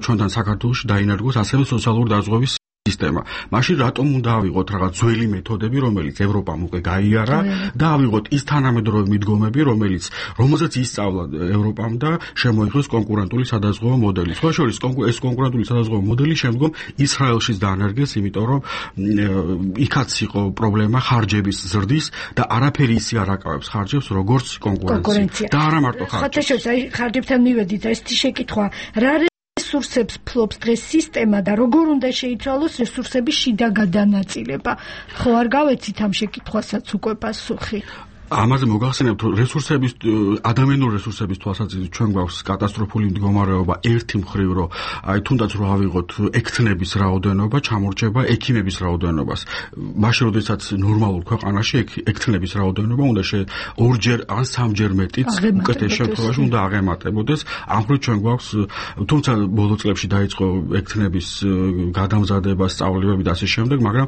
ჩვენთან საქართველოში დაინერგოს ასევე სოციალური დაზღვევის სისტემა. მაშინ რატომ უნდა ავიღოთ რაღაც ძველი მეთოდები, რომელიც ევროპამ უკვე გაიარა და ავიღოთ ის თანამედროვე მიდგომები, რომელზეც ისწავლა ევროპამ და შემოიღოს კონკურენტული სადაზღვევო მოდელი. სხვა შორის ეს კონკურენტული სადაზღვევო მოდელი შემდგომ ისრაელშიც დაანერგეს, იმიტომ რომ იქაც იყო პრობლემა ხარჯების ზრდის და არაფერი ისე არ აკავებს ხარჯებს, როგორც კონკურენცია. და არა მარტო ხარჯებს. ხარჯებთან მივედით, ეს შეკითხვა რა რესურსებს ფლობს დღეს სისტემა და როგორ უნდა შეიცვალოს რესურსების შიდა გადანაწილება? ხო არ გავეცით ამ შეკითხვასაც უკვე პასუხი? ამაზე მოგახსენებთ, რომ ადამიანური რესურსების თვალსაზრისით ჩვენ გვაქვს კატასტროფული მდგომარეობა ერთი მხრივ, რომ აი თუნდაც რო ავიღოთ ექთნების რაოდენობა, ჩამორჩება ექიმების რაოდენობას. მაშინ როდესაც ნორმალურ ქვეყანაში ექთნების რაოდენობა უნდა ორჯერ ან სამჯერ მეტიც უკეთეს შემთხვევაში უნდა აღემატებოდეს. ამ მხრივ ჩვენ გვაქვს, თუმცა ბოლო წლებში დაიწყო ექთნების გადამზადება, სწავლებები და ასე შემდეგ, მაგრამ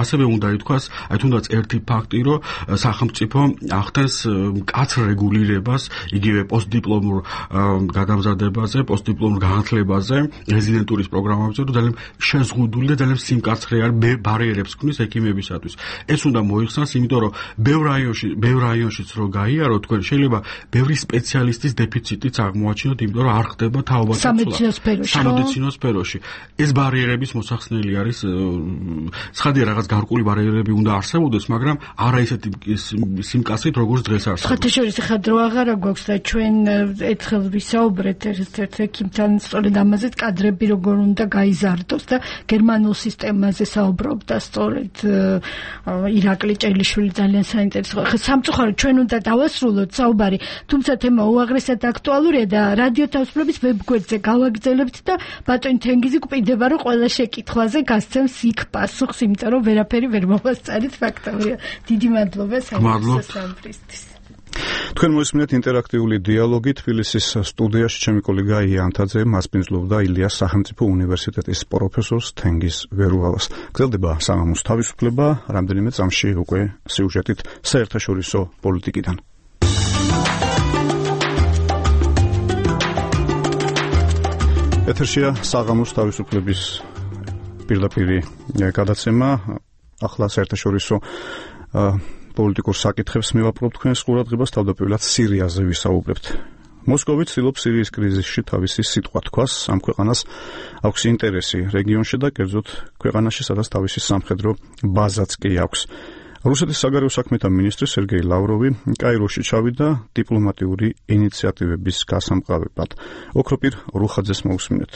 ასევე უნდა ითქვას, აი თუნდაც ერთი ფაქტი, რომ სახელმწიფო ახდენს მკაცრ რეგულირებას იგივე პოსტდიპლომურ გადამზადებაზე, პოსტდიპლომურ განათლებაზე, რეზიდენტურის პროგრამებზე, რომ ძალიან შეზღუდული და ძალიან სიმკაცრე ბარიერებს ქმნის ექიმებისათვის. ეს უნდა მოიხსნას, იმიტომ რომ ბევრ რაიონშიც რო გაიაროთ, თქვენ შეიძლება ბევრი სპეციალისტის დეფიციტიც აღმოაჩინოთ, იმიტომ რომ არ ხდება თაობათა ცვლა სამედიცინო სფეროში. ეს ბარიერების მოსახსნელი არის. ცხადია, რაღაც გარკვეული ბარიერები უნდა არსებობდეს, მაგრამ არა ისეთი სიმკაცრით, როგორც დღეს არსებობს. სხვათა შორის ახლა დრო აღარა გვაქვს და ჩვენ ერთხელ ვისაუბრეთ ერთ ექიმთან სწორედ ამაზე, კადრები როგორ უნდა გაიზარდოს და გერმანულ სისტემაზე საუბრობდა სწორედ ირაკლი ჭელიშვილი ძალიან საინტერესო. ახლა სამწუხაროდ ჩვენ უნდა დავასრულოთ საუბარი, თუმცა თემა უაღრესად აქტუალურია და რადიო თავისუფლების ვებგვერდზე გავაგრძელებთ და ბატონი თენგიზი გვპირდება, რომ ყველა შეკითხვაზე გასცემს იქ პასუხს, იმიტომ რომ ვერაფერი ვერ მოვასწარით ფაქტობრივია. დიდი მადლობა სამფრისთვის. თქვენ მოისმინეთ ინტერაქტიული დიალოგი თბილისის სტუდიაში. ჩემი კოლეგა ია ანთაძე მასპინძლობდა ილიას სახელმწიფო უნივერსიტეტის პროფესორს თენგიზ ვერუალას. გრძელდება საღამოს თავისუფლება, რამდენიმე წამში უკვე სიუჟეტით საერთაშორისო პოლიტიკიდან. ეთერშია საღამოს თავისუფლების პირდაპირი გადაცემა. ახლა საერთაშორისო პოლიტიკურ საკითხებს მივაპყრობ თქვენს ყურადღებას, თავდაპირველად სირიაზე ვისაუბრებთ. მოსკოვი ცდილობს სირიის კრიზისში თავისი სიტყვა თქვას, ამ ქვეყანას აქვს ინტერესი რეგიონში და კერძოდ ქვეყანაში, სადაც თავისი სამხედრო ბაზაც კი აქვს. რუსეთის საგარეო საქმეთა მინისტრი სერგეი ლავროვი კაიროში ჩავიდა დიპლომატიური ინიციატივების გასამყარებად. ოქროპირ რუხაძეს მოусმინეთ.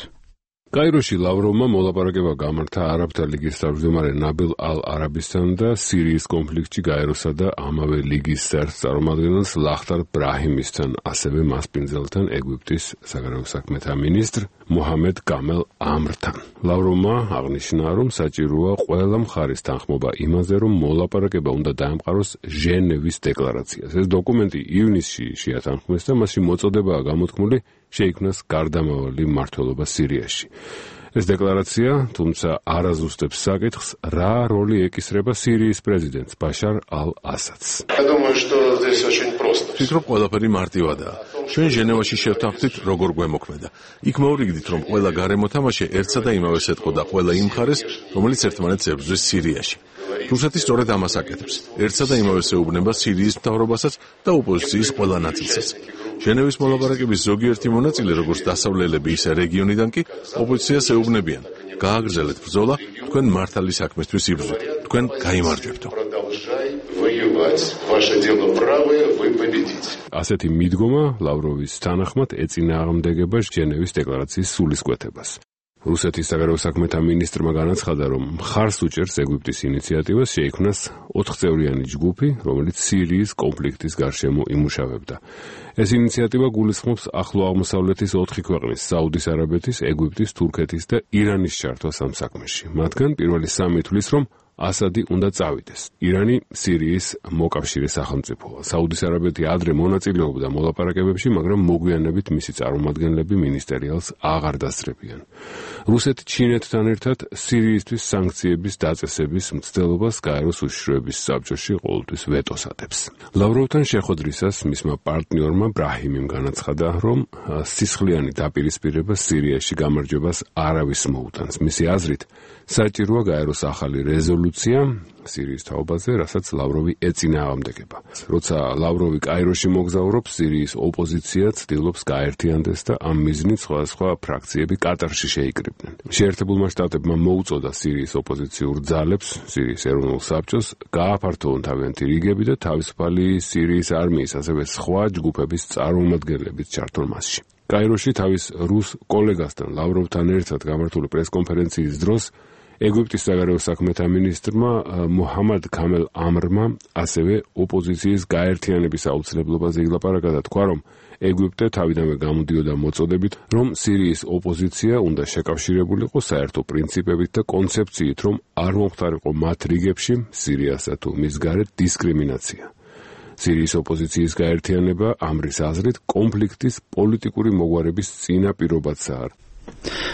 კაიროში ლავროვმა მოლაპარაკება გამართა არაბთა ლიგის თავმჯდომარე ნაბილ ალ-არაბისთან და სირიის კონფლიქტში გაეროსა და ამავე ლიგის საერთო წარმომადგენელს ლახტარ ბრაჰიმისთან, ასევე მასპინძელთან ეგვიპტის საგარეო საქმეთა მინისტრ მუჰამედ გამელ ამრთან. ლავროვმა აღნიშნა, რომ საჭიროა ყველა მხარის თანხმობა იმაზე, რომ მოლაპარაკება უნდა დაემყაროს ჟენევის დეკლარაციას. ეს დოკუმენტი ივნისში შეათანხმეს და მასში მოწოდებაა გამოთქმული შეიქმნას გარდამავალი მმართველობა სირიაში. ეს დეკლარაცია, თუმცა არ აზუსტებს საკითხს, რა როლი ეკისრება სირიის პრეზიდენტს ბაშარ ალ-ასადს. ვფიქრობ, ყველაფერი მარტივადაა. ჩვენ ჟენევაში შევთანხმდით, როგორ გვემოქმედა. იქ მოვრიგდით, რომ ყველა გარემო თამაში ერთსა და იმავეს ეთყოდა ყველა იმ მხარეს, რომელიც ერთმანეთს ებრძვის სირიაში. რუსეთი სწორედ ამას აკეთებს. ერთსა და იმავეს ეუბნება სირიის მთავრობასაც და ოპოზიციის ყველა ნაწილსაც. ჟენევის მოლაპარაკების ზოგიერთი მონაწილე, როგორც დასავლელები, ისე რეგიონიდან კი ოპოზიციას ეუბნებიან: გააგრძელეთ ბრძოლა, თქვენ მართალი საქმესთვის იბრძვით, თქვენ გაიმარჯვებთო. ასეთი მიდგომა ლავროვის თანახმად ეწინააღმდეგება ჟენევის დეკლარაციის სულისკვეთებას. რუსეთის საგარეო საქმეთა მინისტრმა განაცხადა, რომ მხარს უჭერს ეგვიპტის ინიციატივას შეიქმნას 4-წევრიანი ჯგუფი, რომელიც სირიის კონფლიქტის გარშემო იმუშავებდა. ეს ინიციატივა გულისხმობს ახლო აღმოსავლეთის 4 ქვეყნის, საუდის არაბეთის, ეგვიპტის, თურქეთის და ირანის ჩართვას ამ საქმეში. მათგან პირველი 3 თვლის, რომ ასადი უნდა წავიდეს. ირანი სირიის მოკავშირე სახელმწიფოა. საუდის არაბეთი ადრე მონაწილეობდა მოლაპარაკებებში, მაგრამ მოგვიანებით მისი წარმომადგენლები მინისტერიალს აღარ დასწრებიან. რუსეთი ჩინეთთან ერთად სირიისთვის სანქციების დაწესების მცდელობას გაეროს უშიშროების საბჭოში ყოველთვის ვეტოს ატებს. ლავროვთან შეხვედრისას მისმა პარტნიორმა ბრაჰიმიმ განაცხადა, რომ სისხლიანი დაპირისპირება სირიაში გამარჯვებას არავის მოუტანს. მისი აზრით, საჭიროა გაეროს ახალი რეზოლუცია სირიის თაობაზე, რასაც ლავროვი ეწინააღმდეგება. როცა ლავროვი კაიროში მოგზაურობს, სირიის ოპოზიცია ცდილობს გაერთიანდეს და ამ მიზნით სხვადასხვა ფრაქციები კატარში შეიკრიბნენ. შეერთებულმა შტატებმა მოუწოდა სირიის ოპოზიციურ ძალებს, სირიის ეროვნულ საბჭოს, გააფართოვონ თავიანთი რიგები და თავისუფალი სირიის არმიის, ასევე სხვა ჯგუფების წარმომადგენლებით ჩართონ მასში. კაიროში თავის რუს კოლეგასთან ლავროვთან ერთად გამართული პრესკონფერენციის დროს ეგვიპტის საგარეო საქმეთა მინისტრმა მუჰამედ გამელ ამრმა ასევე ოპოზიციის გაერთიანების აუცილებლობაზე ილაპარაკა და თქვა, რომ ეგვიპტე თავიდანვე გამოდიოდა მოწოდებით, რომ სირიის ოპოზიცია უნდა შეკავშირებულიყო საერთო პრინციპებით და კონცეფციით, რომ არ მომხდარიყო მათ რიგებში სირიასა თუ მის გარეთ დისკრიმინაცია. სირიის ოპოზიციის გაერთიანება ამრის აზრით კონფლიქტის პოლიტიკური მოგვარების წინაპირობაცაა.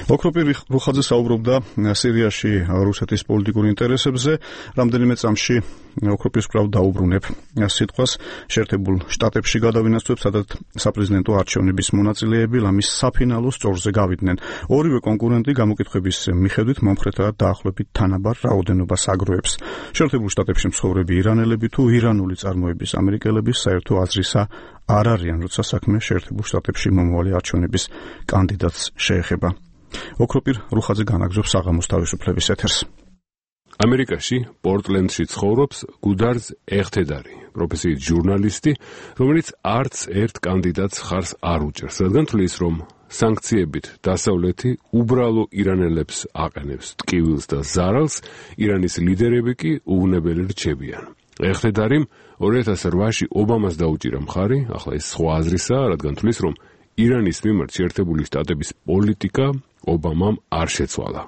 ოქროპირ რუხაძე საუბრობდა სირიაში რუსეთის პოლიტიკურ ინტერესებზე. რამდენიმე წამში ოქროპირს კვლავ დაუბრუნებ სიტყვას შეერთებულ შტატებში გადავინაცვლებ, სადაც საპრეზიდენტო არჩევნების მონაწილეები ლამის საფინალო სწორზე გავიდნენ. ორივე კონკურენტი გამოკითხვების მიხედვით მომხრეთად დაახლოებით თანაბარ რაოდენობას აგროვებს. შეერთებულ შტატებში მცხოვრები ირანელები თუ ირანული წარმოების ამერიკელები საერთო აზრისა არ არიან, როცა საქმე შეერთებულ შტატებში მომავალი არჩევნების კანდიდატს შეეხება. ოქროპირ რუხაძე განაგზობს საღამოს თავისუფლების ეთერს. ამერიკაში, პორტლენდში ცხოვრობს გუდარზ ეხთედარი, პროფესიით ჟურნალისტი, რომელიც არც ერთ კანდიდატს ხარს არ უჭერს, რადგან თვლის, რომ სანქციებით დასავლეთი უბრალო ირანელებს აყენებს ტკივილს და ზარალს, ირანის ლიდერები კი უვნებელი რჩებიან. ეხთედარიმ 2008-ში ობამას დაუჭირა მხარი, ახლა ეს სხვა აზრისაა, რადგან თვლის, რომ ირანის მიმართ შეერთებული შტატების პოლიტიკა ობამამ არ შეცვალა.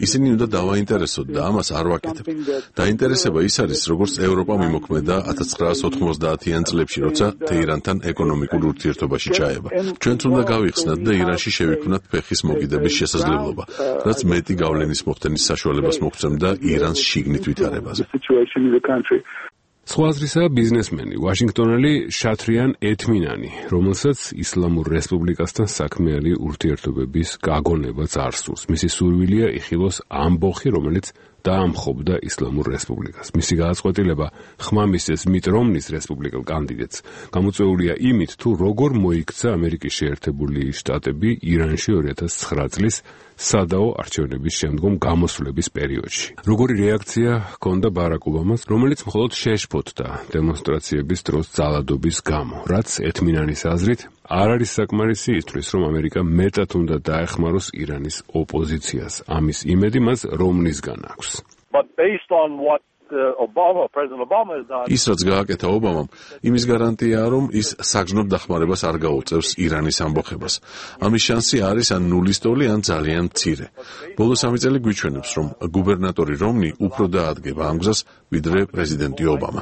ისინი უნდა დავაინტერესოთ და ამას არ ვაკეთებ. დაინტერესება ის არის, როგორც ევროპა მიმოქმედა 1990-იან წლებში, როცა თეირანთან ეკონომიკურ ურთიერთობაში ჩაება. ჩვენც უნდა გავიხსნათ და ირანში შევიქმნათ ფეხის მოგიდების შესაძლებლობა, რაც მეტი გავლენის მოხდენის საშუალებას მოგცემდა ირანს შიგნით ვითარებაზე. სხვა აზრისაა ბიზნესმენი, ვაშინგტონელი შათრიან ეთმინანი, რომელსაც ისლამურ რესპუბლიკასთან საქმიანი ურთიერთობების გაგონებაც არ სურს. მისი სურვილია იხილოს ამბოხი, რომელიც დაამხობდა ისლამურ რესპუბლიკას. მისი გადაწყვეტილება ხმამისცეს მიტ რომნის რესპუბლიკელ კანდიდატს გამოწვეულია იმით, თუ როგორ მოიქცა ამერიკის შეერთებული შტატები ირანში 2009 წლის სადაო არჩევნების შემდგომ გამოსვლების პერიოდში. როგორი რეაქცია ჰქონდა ბარაკ ობამას, რომელიც მხოლოდ შეშფოთდა დემონსტრაციების დროს ძალადობის გამო, რაც ეთმინანის აზრით არ არის საკმარისი ისთვის, რომ ამერიკა მეტად უნდა დაეხმაროს ირანის ოპოზიციას. ამის იმედი მას რომნისგან აქვს. ის რაც გააკეთა ობამამ, იმის გარანტიაა, რომ ის საგზნობ დახმარებას არ გაუწევს ირანის ამბოხებას. ამის შანსი არის ან ნულის ტოლი, ან ძალიან მცირე. ბოლო 3 წელი გვიჩვენებს, რომ გუბერნატორი რომნი უფრო დაადგება ამ გზას, ვიდრე პრეზიდენტი ობამა.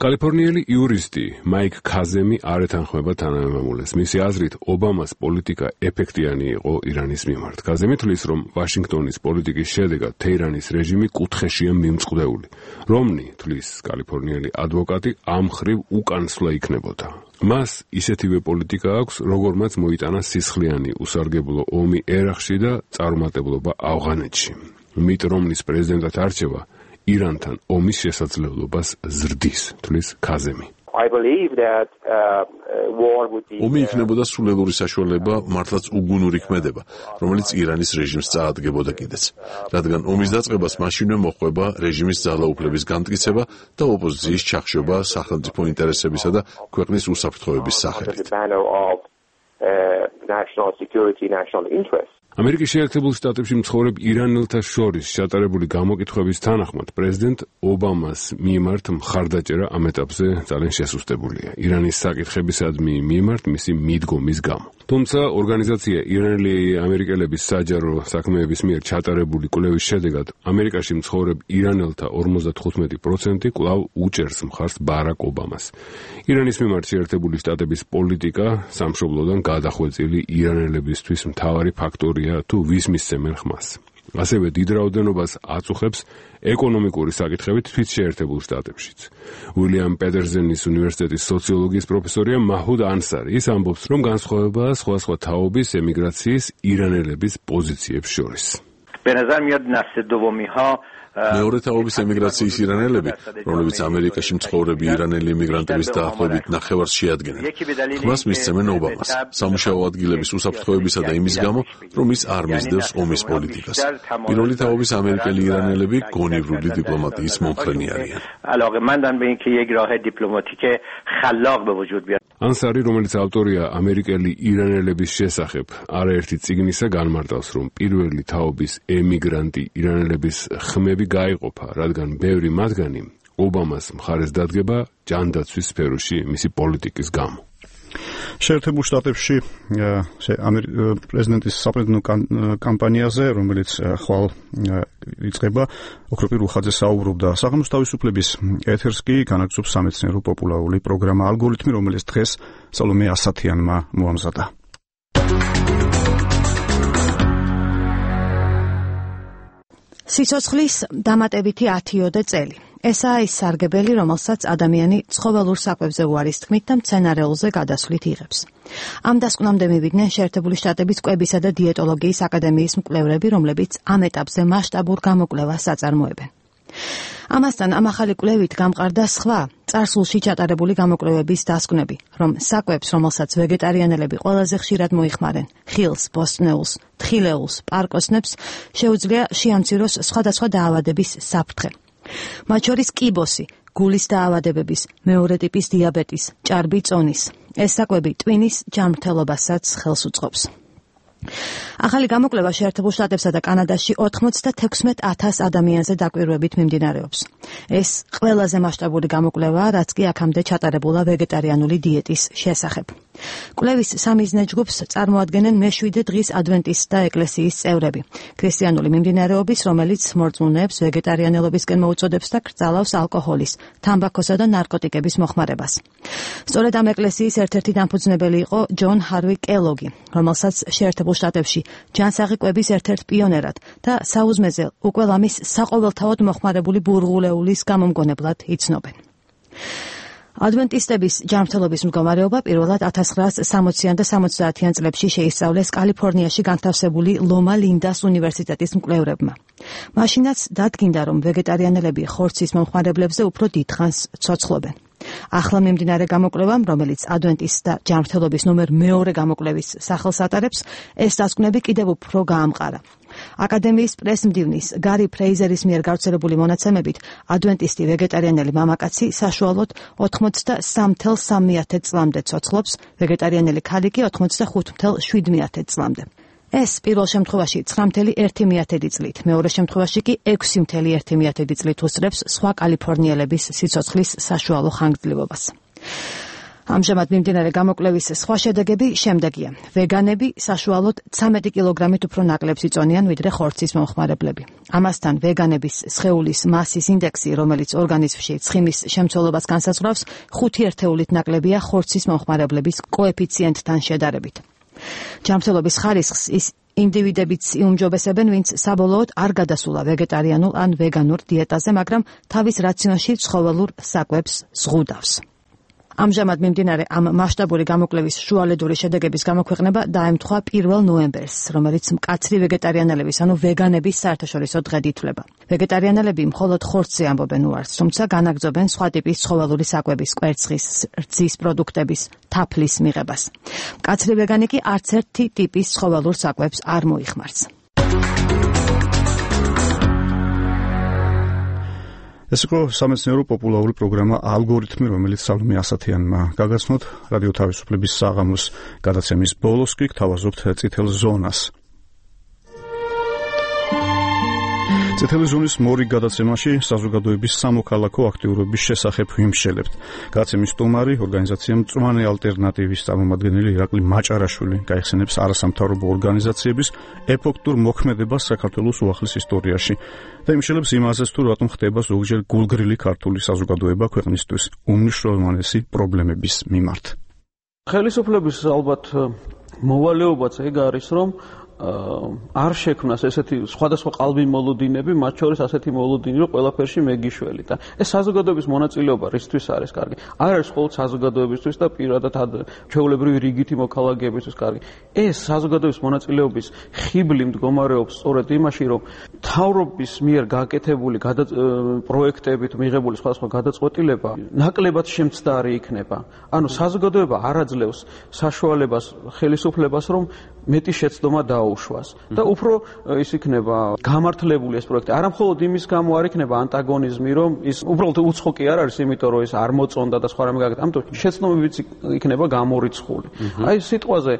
კალიფორნიელი იურისტი მაიკ ქაზემი არ ეთანხმება თანამემამულეს. მისი აზრით, ობამას პოლიტიკა ეფექტიანი იყო ირანის მიმართ. ქაზემი თვლის, რომ ვაშინგტონის პოლიტიკის შედეგად თეირანის რეჟიმი კუთხეშია მიმწყდეული. რომნი, თვლის კალიფორნიელი ადვოკატი, ამ ხრივ უკანსვლა იქნებოდა. მას ისეთივე პოლიტიკა აქვს, როგორმაც მოიტანა სისხლიანი უსარგებლო ომი ერაყში და წარუმატებლობა ავღანეთში. მიტ რომნის პრეზიდენტად არჩევა ირანთან ომის შესაძლებლობას ზრდის, თვლის ქაზემი. ომი იქნებოდა სულელური საშუალება მართლაც უგუნური ქმედება, რომელიც ირანის რეჟიმს წაადგებოდა კიდეც, რადგან ომის დაწყებას მაშინვე მოჰყვება რეჟიმის ძალაუფლების განმტკიცება და ოპოზიციის ჩახშობა სახელმწიფო ინტერესებისა და ქვეყნის უსაფრთხოების სახელით. ამერიკის შეერთებულ შტატებში მცხოვრებ ირანელთა შორის ჩატარებული გამოკითხვების თანახმად პრეზიდენტ ობამას მიმართ მხარდაჭერა ამ ეტაპზე ძალიან შესუსტებულია ირანის საკითხებისადმი მიმართ მისი მიდგომის გამო. თუმცა ორგანიზაცია ირანელი ამერიკელების საჯარო საქმეების მიერ ჩატარებული კვლევის შედეგად ამერიკაში მცხოვრებ ირანელთა 55% კვლავ უჭერს მხარს ბარაკ ობამას. ირანის მიმართ შეერთებული შტატების პოლიტიკა სამშობლოდან გადახვეწილი ირანელებისთვის მთავარი ფაქტორია თუ ვის მისცემენ ხმას. ასევე დიდ რაოდენობას აწუხებს ეკონომიკური საკითხებით თვით შეერთებულ შტატებშიც. უილიამ პეტერზენის უნივერსიტეტის სოციოლოგიის პროფესორია მაჰუდ ანსარი ის ამბობს, რომ განსხვავებაა სხვადასხვა თაობის ემიგრაციის ირანელების პოზიციებს შორის. მეორე თაობის ემიგრაციის ირანელები, რომლებიც ამერიკაში მცხოვრები ირანელი ემიგრანტების დაახლოებით ნახევარს შეადგენენ, ხმას მისცემენ ობამას, სამუშაო ადგილების უსაფრთხოებისა და იმის გამო, რომ ის არ მისდევს ომის პოლიტიკას. პირველი თაობის ამერიკელი ირანელები გონივრული დიპლომატიის მომხრენი არიან. ანსარი, რომელიც ავტორია ამერიკელი ირანელების შესახებ არაერთი წიგნისა, განმარტავს, რომ პირველი თაობის ემიგრანტი ირანელების ხმები გაიყოფა, რადგან ბევრი მათგანი ობამას მხარეს დადგება ჯანდაცვის სფეროში მისი პოლიტიკის გამო. შეერთებულ შტატებში პრეზიდენტის საპრეზიდენტო კამპანიაზე, რომელიც ხვალ იწყება, ოქროპირ უხაძე საუბრობდა. საღამოს თავისუფლების ეთერს კი განაგრძობს სამეცნიერო პოპულარული პროგრამა ალგორითმი, რომელიც დღეს სალომე ასათიანმა მოამზადა. სიცოცხლის დამატებითი 10-ოდე წელი. ესაა ის სარგებელი, რომელსაც ადამიანი ცხოველურ საკვებზე უარის თქმით და მცენარეულზე გადასვლით იღებს. ამ დასკვნამდე მივიდნენ შეერთებული შტატების კვებისა და დიეტოლოგიის აკადემიის მკვლევრები, რომლებიც ამ ეტაპზე მასშტაბურ გამოკვლევას აწარმოებენ. ამასთან ამ ახალი კვლევით გამყარდა სხვა წარსულში ჩატარებული გამოკვლევების დასკვნები, რომ საკვებს, რომელსაც ვეგეტარიანელები ყველაზე ხშირად მოიხმარენ, ხილს, ბოსტნეულს, თხილეულს, პარკოსნებს, შეუძლია შეამციროს სხვადასხვა დაავადების საფრთხე. მათ შორის კიბოსი, გულის დაავადებების, მეორე ტიპის დიაბეტის, ჭარბი წონის. ეს საკვები ტვინის ჯანმრთელობასაც ხელს უწყობს. ახალი გამოკვლევა შეერთებულ შტატებსა და კანადაში 96,000 ადამიანზე დაკვირვებით მიმდინარეობს. ეს ყველაზე მასშტაბური გამოკვლევაა, რაც კი აქამდე ჩატარებულა ვეგეტარიანული დიეტის შესახებ. კვლევის სამიზნე ჯგუფს წარმოადგენენ მეშვიდე დღის ადვენტისტთა ეკლესიის წევრები, ქრისტიანული მიმდინარეობის, რომელიც მორწმუნეებს ვეგეტარიანელობისკენ მოუწოდებს და კრძალავს ალკოჰოლის, თამბაქოსა და ნარკოტიკების მოხმარებას. სწორედ ამ ეკლესიის ერთ-ერთი დამფუძნებელი იყო ჯონ ჰარვი კელოგი, რომელსაც შეერთებულ შტატებში ჯანსაღი კვების ერთ-ერთ პიონერად და საუზმეზე უკვე ლამის საყოველთაოდ მოხმარებული ბურღულეულის გამომგონებლად იცნობენ. ადვენტისტების ჯანმრთელობის მდგომარეობა პირველად 1960-ან და 70-იან წლებში შეისწავლეს კალიფორნიაში განთავსებული ლომა ლინდას უნივერსიტეტის მკვლევრებმა. მაშინაც დადგინდა, რომ ვეგეტარიანელები ხორცის მომხმარებლებზე უფრო დიდხანს ცოცხლობენ. ახლა მიმდინარე გამოკვლევამ, რომელიც ადვენტისტთა ჯანმრთელობის ნომერ მეორე გამოკვლევის სახელს ატარებს, ეს დასკვნები კიდევ უფრო გაამყარა. აკადემიის პრესმდივნის გარი ფრეიზერის მიერ გავრცელებული მონაცემებით, ადვენტისტი ვეგეტარიანელი მამაკაცი საშუალოდ 83.3 წლამდე ცოცხლობს, ვეგეტარიანელი ქალი კი 85.7 წლამდე. ეს პირველ შემთხვევაში 9.1 წლით, მეორე შემთხვევაში კი 6.1 წლით უსწრებს სხვა კალიფორნიელების სიცოცხლის საშუალო ხანგრძლივობას. ამჟამად მიმდინარე გამოკვლევის სხვა შედეგები შემდეგია. ვეგანები საშუალოდ 13 კილოგრამით უფრო ნაკლებს იწონიან, ვიდრე ხორცის მომხმარებლები. ამასთან ვეგანების სხეულის მასის ინდექსი, რომელიც ორგანიზმში ცხიმის შემცველობას განსაზღვრავს, 5 ერთეულით ნაკლებია ხორცის მომხმარებლების კოეფიციენტთან შედარებით. ჯანმრთელობის ხარისხს ის ინდივიდებიც იუმჯობესებენ, ვინც საბოლოოდ არ გადასულა ვეგეტარიანულ ან ვეგანურ დიეტაზე, მაგრამ თავის რაციონში ცხოველურ საკვებს ზღუდავს. ამჟამად მიმდინარე ამ მასშტაბური გამოკვლევის შუალედური შედეგების გამოქვეყნება დაემთხვა 1 ნოემბერს, რომელიც მკაცრი ვეგეტარიანელების, ანუ ვეგანების საერთაშორისო დღედ ითვლება. ვეგეტარიანელები მხოლოდ ხორცზე ამბობენ უარს, თუმცა განაგრძობენ სხვა ტიპის ცხოველური საკვების, კვერცხის, რძის პროდუქტების, თაფლის მიღებას. მკაცრი ვეგანი კი არც ერთი ტიპის ცხოველურ საკვებს არ მოიხმარს. ეს იყო სამეცნიერო პოპულარული პროგრამა ალგორითმი, რომელიც სალომე ასათიანმა გაგაცნოთ რადიო თავისუფლების საღამოს გადაცემის ბოლოს კი გთავაზობთ წითელ ზონას. წითელი ზონის მორიგ გადაცემაში საზოგადოების სამოქალაქო აქტიურობის შესახებ ვიმშელებთ. გადაცემის სტუმარი, ორგანიზაცია მწვანე ალტერნატივის წარმომადგენელი ირაკლი მაჭარაშვილი გაიხსენებს არასამთავრობო ორგანიზაციების ეფექტურ მოქმედებას საქართველოს უახლის ისტორიაში და იმშელებს იმაზეც, თუ რატომ ხდება ზოგჯერ გულგრილი ქართული საზოგადოება ქვეყნისთვის უმნიშვნელოვანესი პრობლემების მიმართ. ხელისუფლების ალბათ მოვალეობაც ეგ არის, რომ არ შექმნას ესეთი სხვადასხვა ყალბი მოლოდინები, მათ შორის ასეთი მოლოდინი, რომ ყველაფერში მეგიშველი და ეს საზოგადოების მონაწილეობა რისთვის არის კარგი? არ არის მხოლოდ საზოგადოებისთვის და პირადად ჩვეულებრივი რიგითი მოქალაქეებისთვის კარგი. ეს საზოგადოების მონაწილეობის ხიბლი მდგომარეობს სწორედ იმაში, რომ მთავრობის მიერ გაკეთებული პროექტებით მიღებული სხვადასხვა გადაწყვეტილება ნაკლებად შემცდარი იქნება. ანუ საზოგადოება არ აძლევს საშუალებას ხელისუფლებას, რომ მეტი შეცდომა დაუშვას და უფრო ის იქნება გამართლებული ეს პროექტი. არა მხოლოდ იმის გამო არ იქნება ანტაგონიზმი, რომ ის უბრალოდ უცხო კი არ არის, იმიტომ რომ ის არ მოწონდა და სხვა რამე გაკეთდა. ამიტომ შეცდომებიც იქნება გამორიცხული. აი სიტყვაზე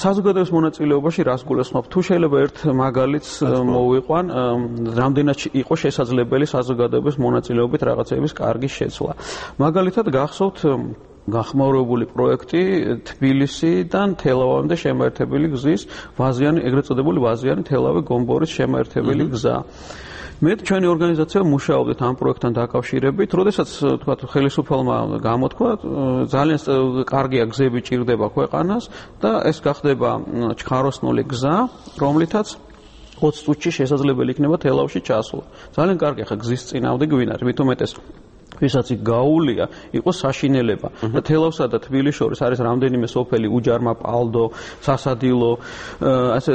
საზოგადოების მონაწილეობაში რას გულისხმობ? თუ შეიძლება ერთ მაგალითს მოვიყვან, რამდენად იყო შესაძლებელი საზოგადოების მონაწილეობით რაღაცების კარგი შეცვლა. მაგალითად გახსოვთ გახმაურებული პროექტი თბილისიდან თელავამდე შემაერთებელი გზის ვაზიანი, ეგრეთ წოდებული ვაზიანი თელავი გომბორის შემაერთებელი გზა. მე ჩვენი ორგანიზაცია მუშაობდით ამ პროექტთან დაკავშირებით, როდესაც თქვათ ხელისუფალმა გამოთქვა, ძალიან კარგია გზები ჭირდება ქვეყანას და ეს გახდება ჩხაროსნული გზა, რომლითაც 20 წუთში შესაძლებელი იქნება თელავში ჩასვლა. ძალიან კარგი ხა გზის წინააღმდეგ გვინარ, მით უმეტეს ვისაც იქ გაუვლია, იყო საშინელება. და თელავსა და თბილისის შორის არის რამდენიმე სოფელი, უჯარმა, პალდო, სასადილო, ასე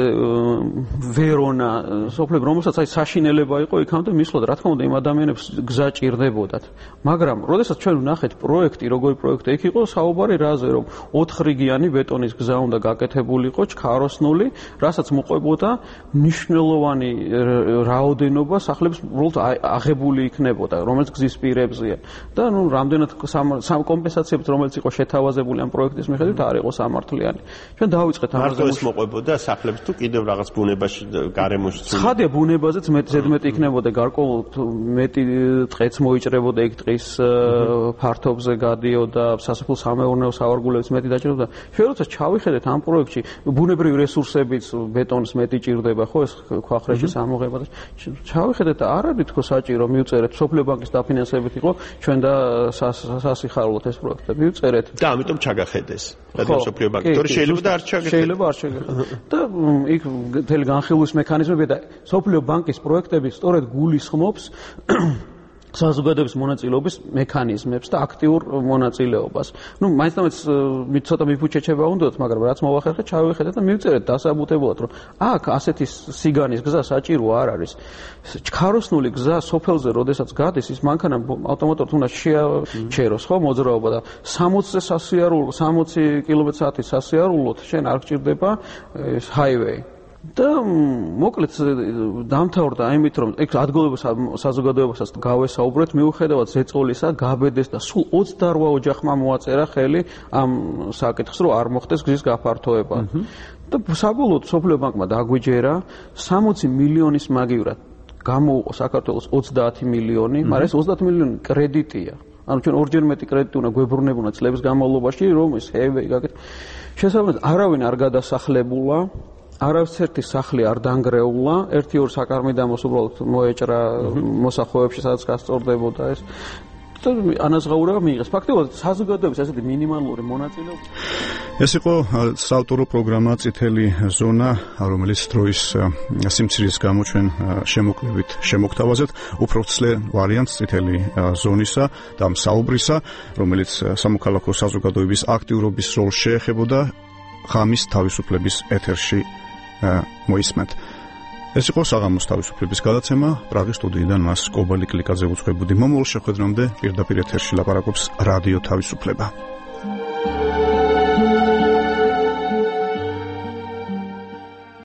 ვერონა, სოფლები, რომელსაც აი საშინელება იყო იქამდე მისვლად, რა თქმა უნდა, იმ ადამიანებს გზა ჭირდებოდათ. მაგრამ, როდესაც ჩვენ ვნახეთ პროექტი, როგორი პროექტი იქ იყო, საუბარი რაზე, რომ 4 რიგიანი ბეტონის გზა უნდა გაკეთებულიყო, ჩქაროსნული, რასაც მოყვებოდა მნიშვნელოვანი რაოდენობა სახლების უბრალოდ აღებული იქნებოდა, რომელიც გზის პირებზე და ნუ რამდენად კომპენსაციებით რომელიც იყო შეთავაზებული ამ პროექტის მიხედვით არ იყო სამართლიანი. ჩვენ დავიწყეთ ამაზე მარტო მოყვებოდა სახლებს თუ კიდევ რაღაც ბუნებაში გარემოში ცხადია ბუნებაზეც ზედმეტი იქნებოდა გარკვეულ მეტი ტყეც მოიჭრებოდა იქ ტყის ფართობზე გადიოდა სასოფლო სამეურნეო სავარგულებს მეტი დაჭირდა. ჩვენ როცა ჩავიხედეთ ამ პროექტში ბუნებრივი რესურსებიც ბეტონის მეტი ჭირდება ხო ეს ქვახრეშის ამოღება და ჩავიხედეთ არ არის თქო საჭირო მივწერეთ სოფლიო ბანკის დაფინანსებით იყო ჩვენ და სასიხარულოთ ეს პროექტები ვიწერეთ და ამიტომ ჩაგახედეს რადგან სოფლიო ბანკი თორე შეიძლება და არ ჩაგახედეს შეიძლება არ ჩაგახედეს და იქ მთელი განხილვის მექანიზმები და სოფლიო ბანკის პროექტები სწორედ გულისხმობს საზოგადოების მონაწილეობის მექანიზმებს და აქტიურ მონაწილეობას. მაინც ცოტა მიფუჩეჩება უნდათ, მაგრამ რაც მოვახერხეთ, ჩავიხედეთ და მივწერეთ დასაბუთებულად, რომ აქ ასეთი სიგანის გზა საჭირო არ არის. ქაროსნული გზა სოფელზე, როდესაც გადის, ის მანქანა ავტომატურად უნდა შეაჩეროს, ხო, მოძრაობა და 60-ზე სასიარულო, 60 კმ/სთ სასიარულოდ შენ არ გჭირდება ეს ჰაივეი. და მოკლედ დამთავრდა იმით, რომ ეგ ადგილობრივ საზოგადოებასაც გავესაუბრეთ, მიუხედავად ზეწოლისა, გაბედეს და სულ 28 ოჯახმა მოაწერა ხელი ამ საკითხს, რომ არ მოხდეს გზის გაფართოება. და საბოლოოდ სოფლიო ბანკმა დაგვიჯერა 60 მილიონის მაგივრად გამოუყო საქართველოს 30 მილიონი, მაგრამ ეს 30 მილიონი კრედიტია. ანუ ჩვენ ორჯერ მეტი კრედიტი უნდა გვებრუნებინა წლების განმავლობაში, რომ ეს ჰეივეი გაკეთდეს. შესაბამისად, არავინ არ გადასახლებულა. არავითარი სახლი არ დანგრეულა, 1-2 საკარმიდამოს უბრალოდ მოეჭრა მოსახლეებში, სადაც გასწორდებოდა ეს. და ანაზღაურება მიიღეს. ფაქტობრივად საზოგადოების ასეთი მინიმალური მონაწილეობა. ეს იყო საავტორო პროგრამა წითელი ზონა, რომელიც დროის სიმცირის გამო ჩვენ შემოკლებით შემოგთავაზეთ. უფრო ვრცლე ვარიანტს წითელი ზონისა და საუბრისა, რომელიც სამოქალაქო საზოგადოების აქტიურობის როლს შეეხებოდა ღამის თავისუფლების ეთერში მოისმენთ. ეს იყო საღამოს თავისუფლების გადაცემა. პრაღის სტუდიიდან მას კობალი კლიკაძე უძღვებოდი. მომავალ შეხვედრამდე პირდაპირ ეთერში ლაპარაკობს რადიო თავისუფლება.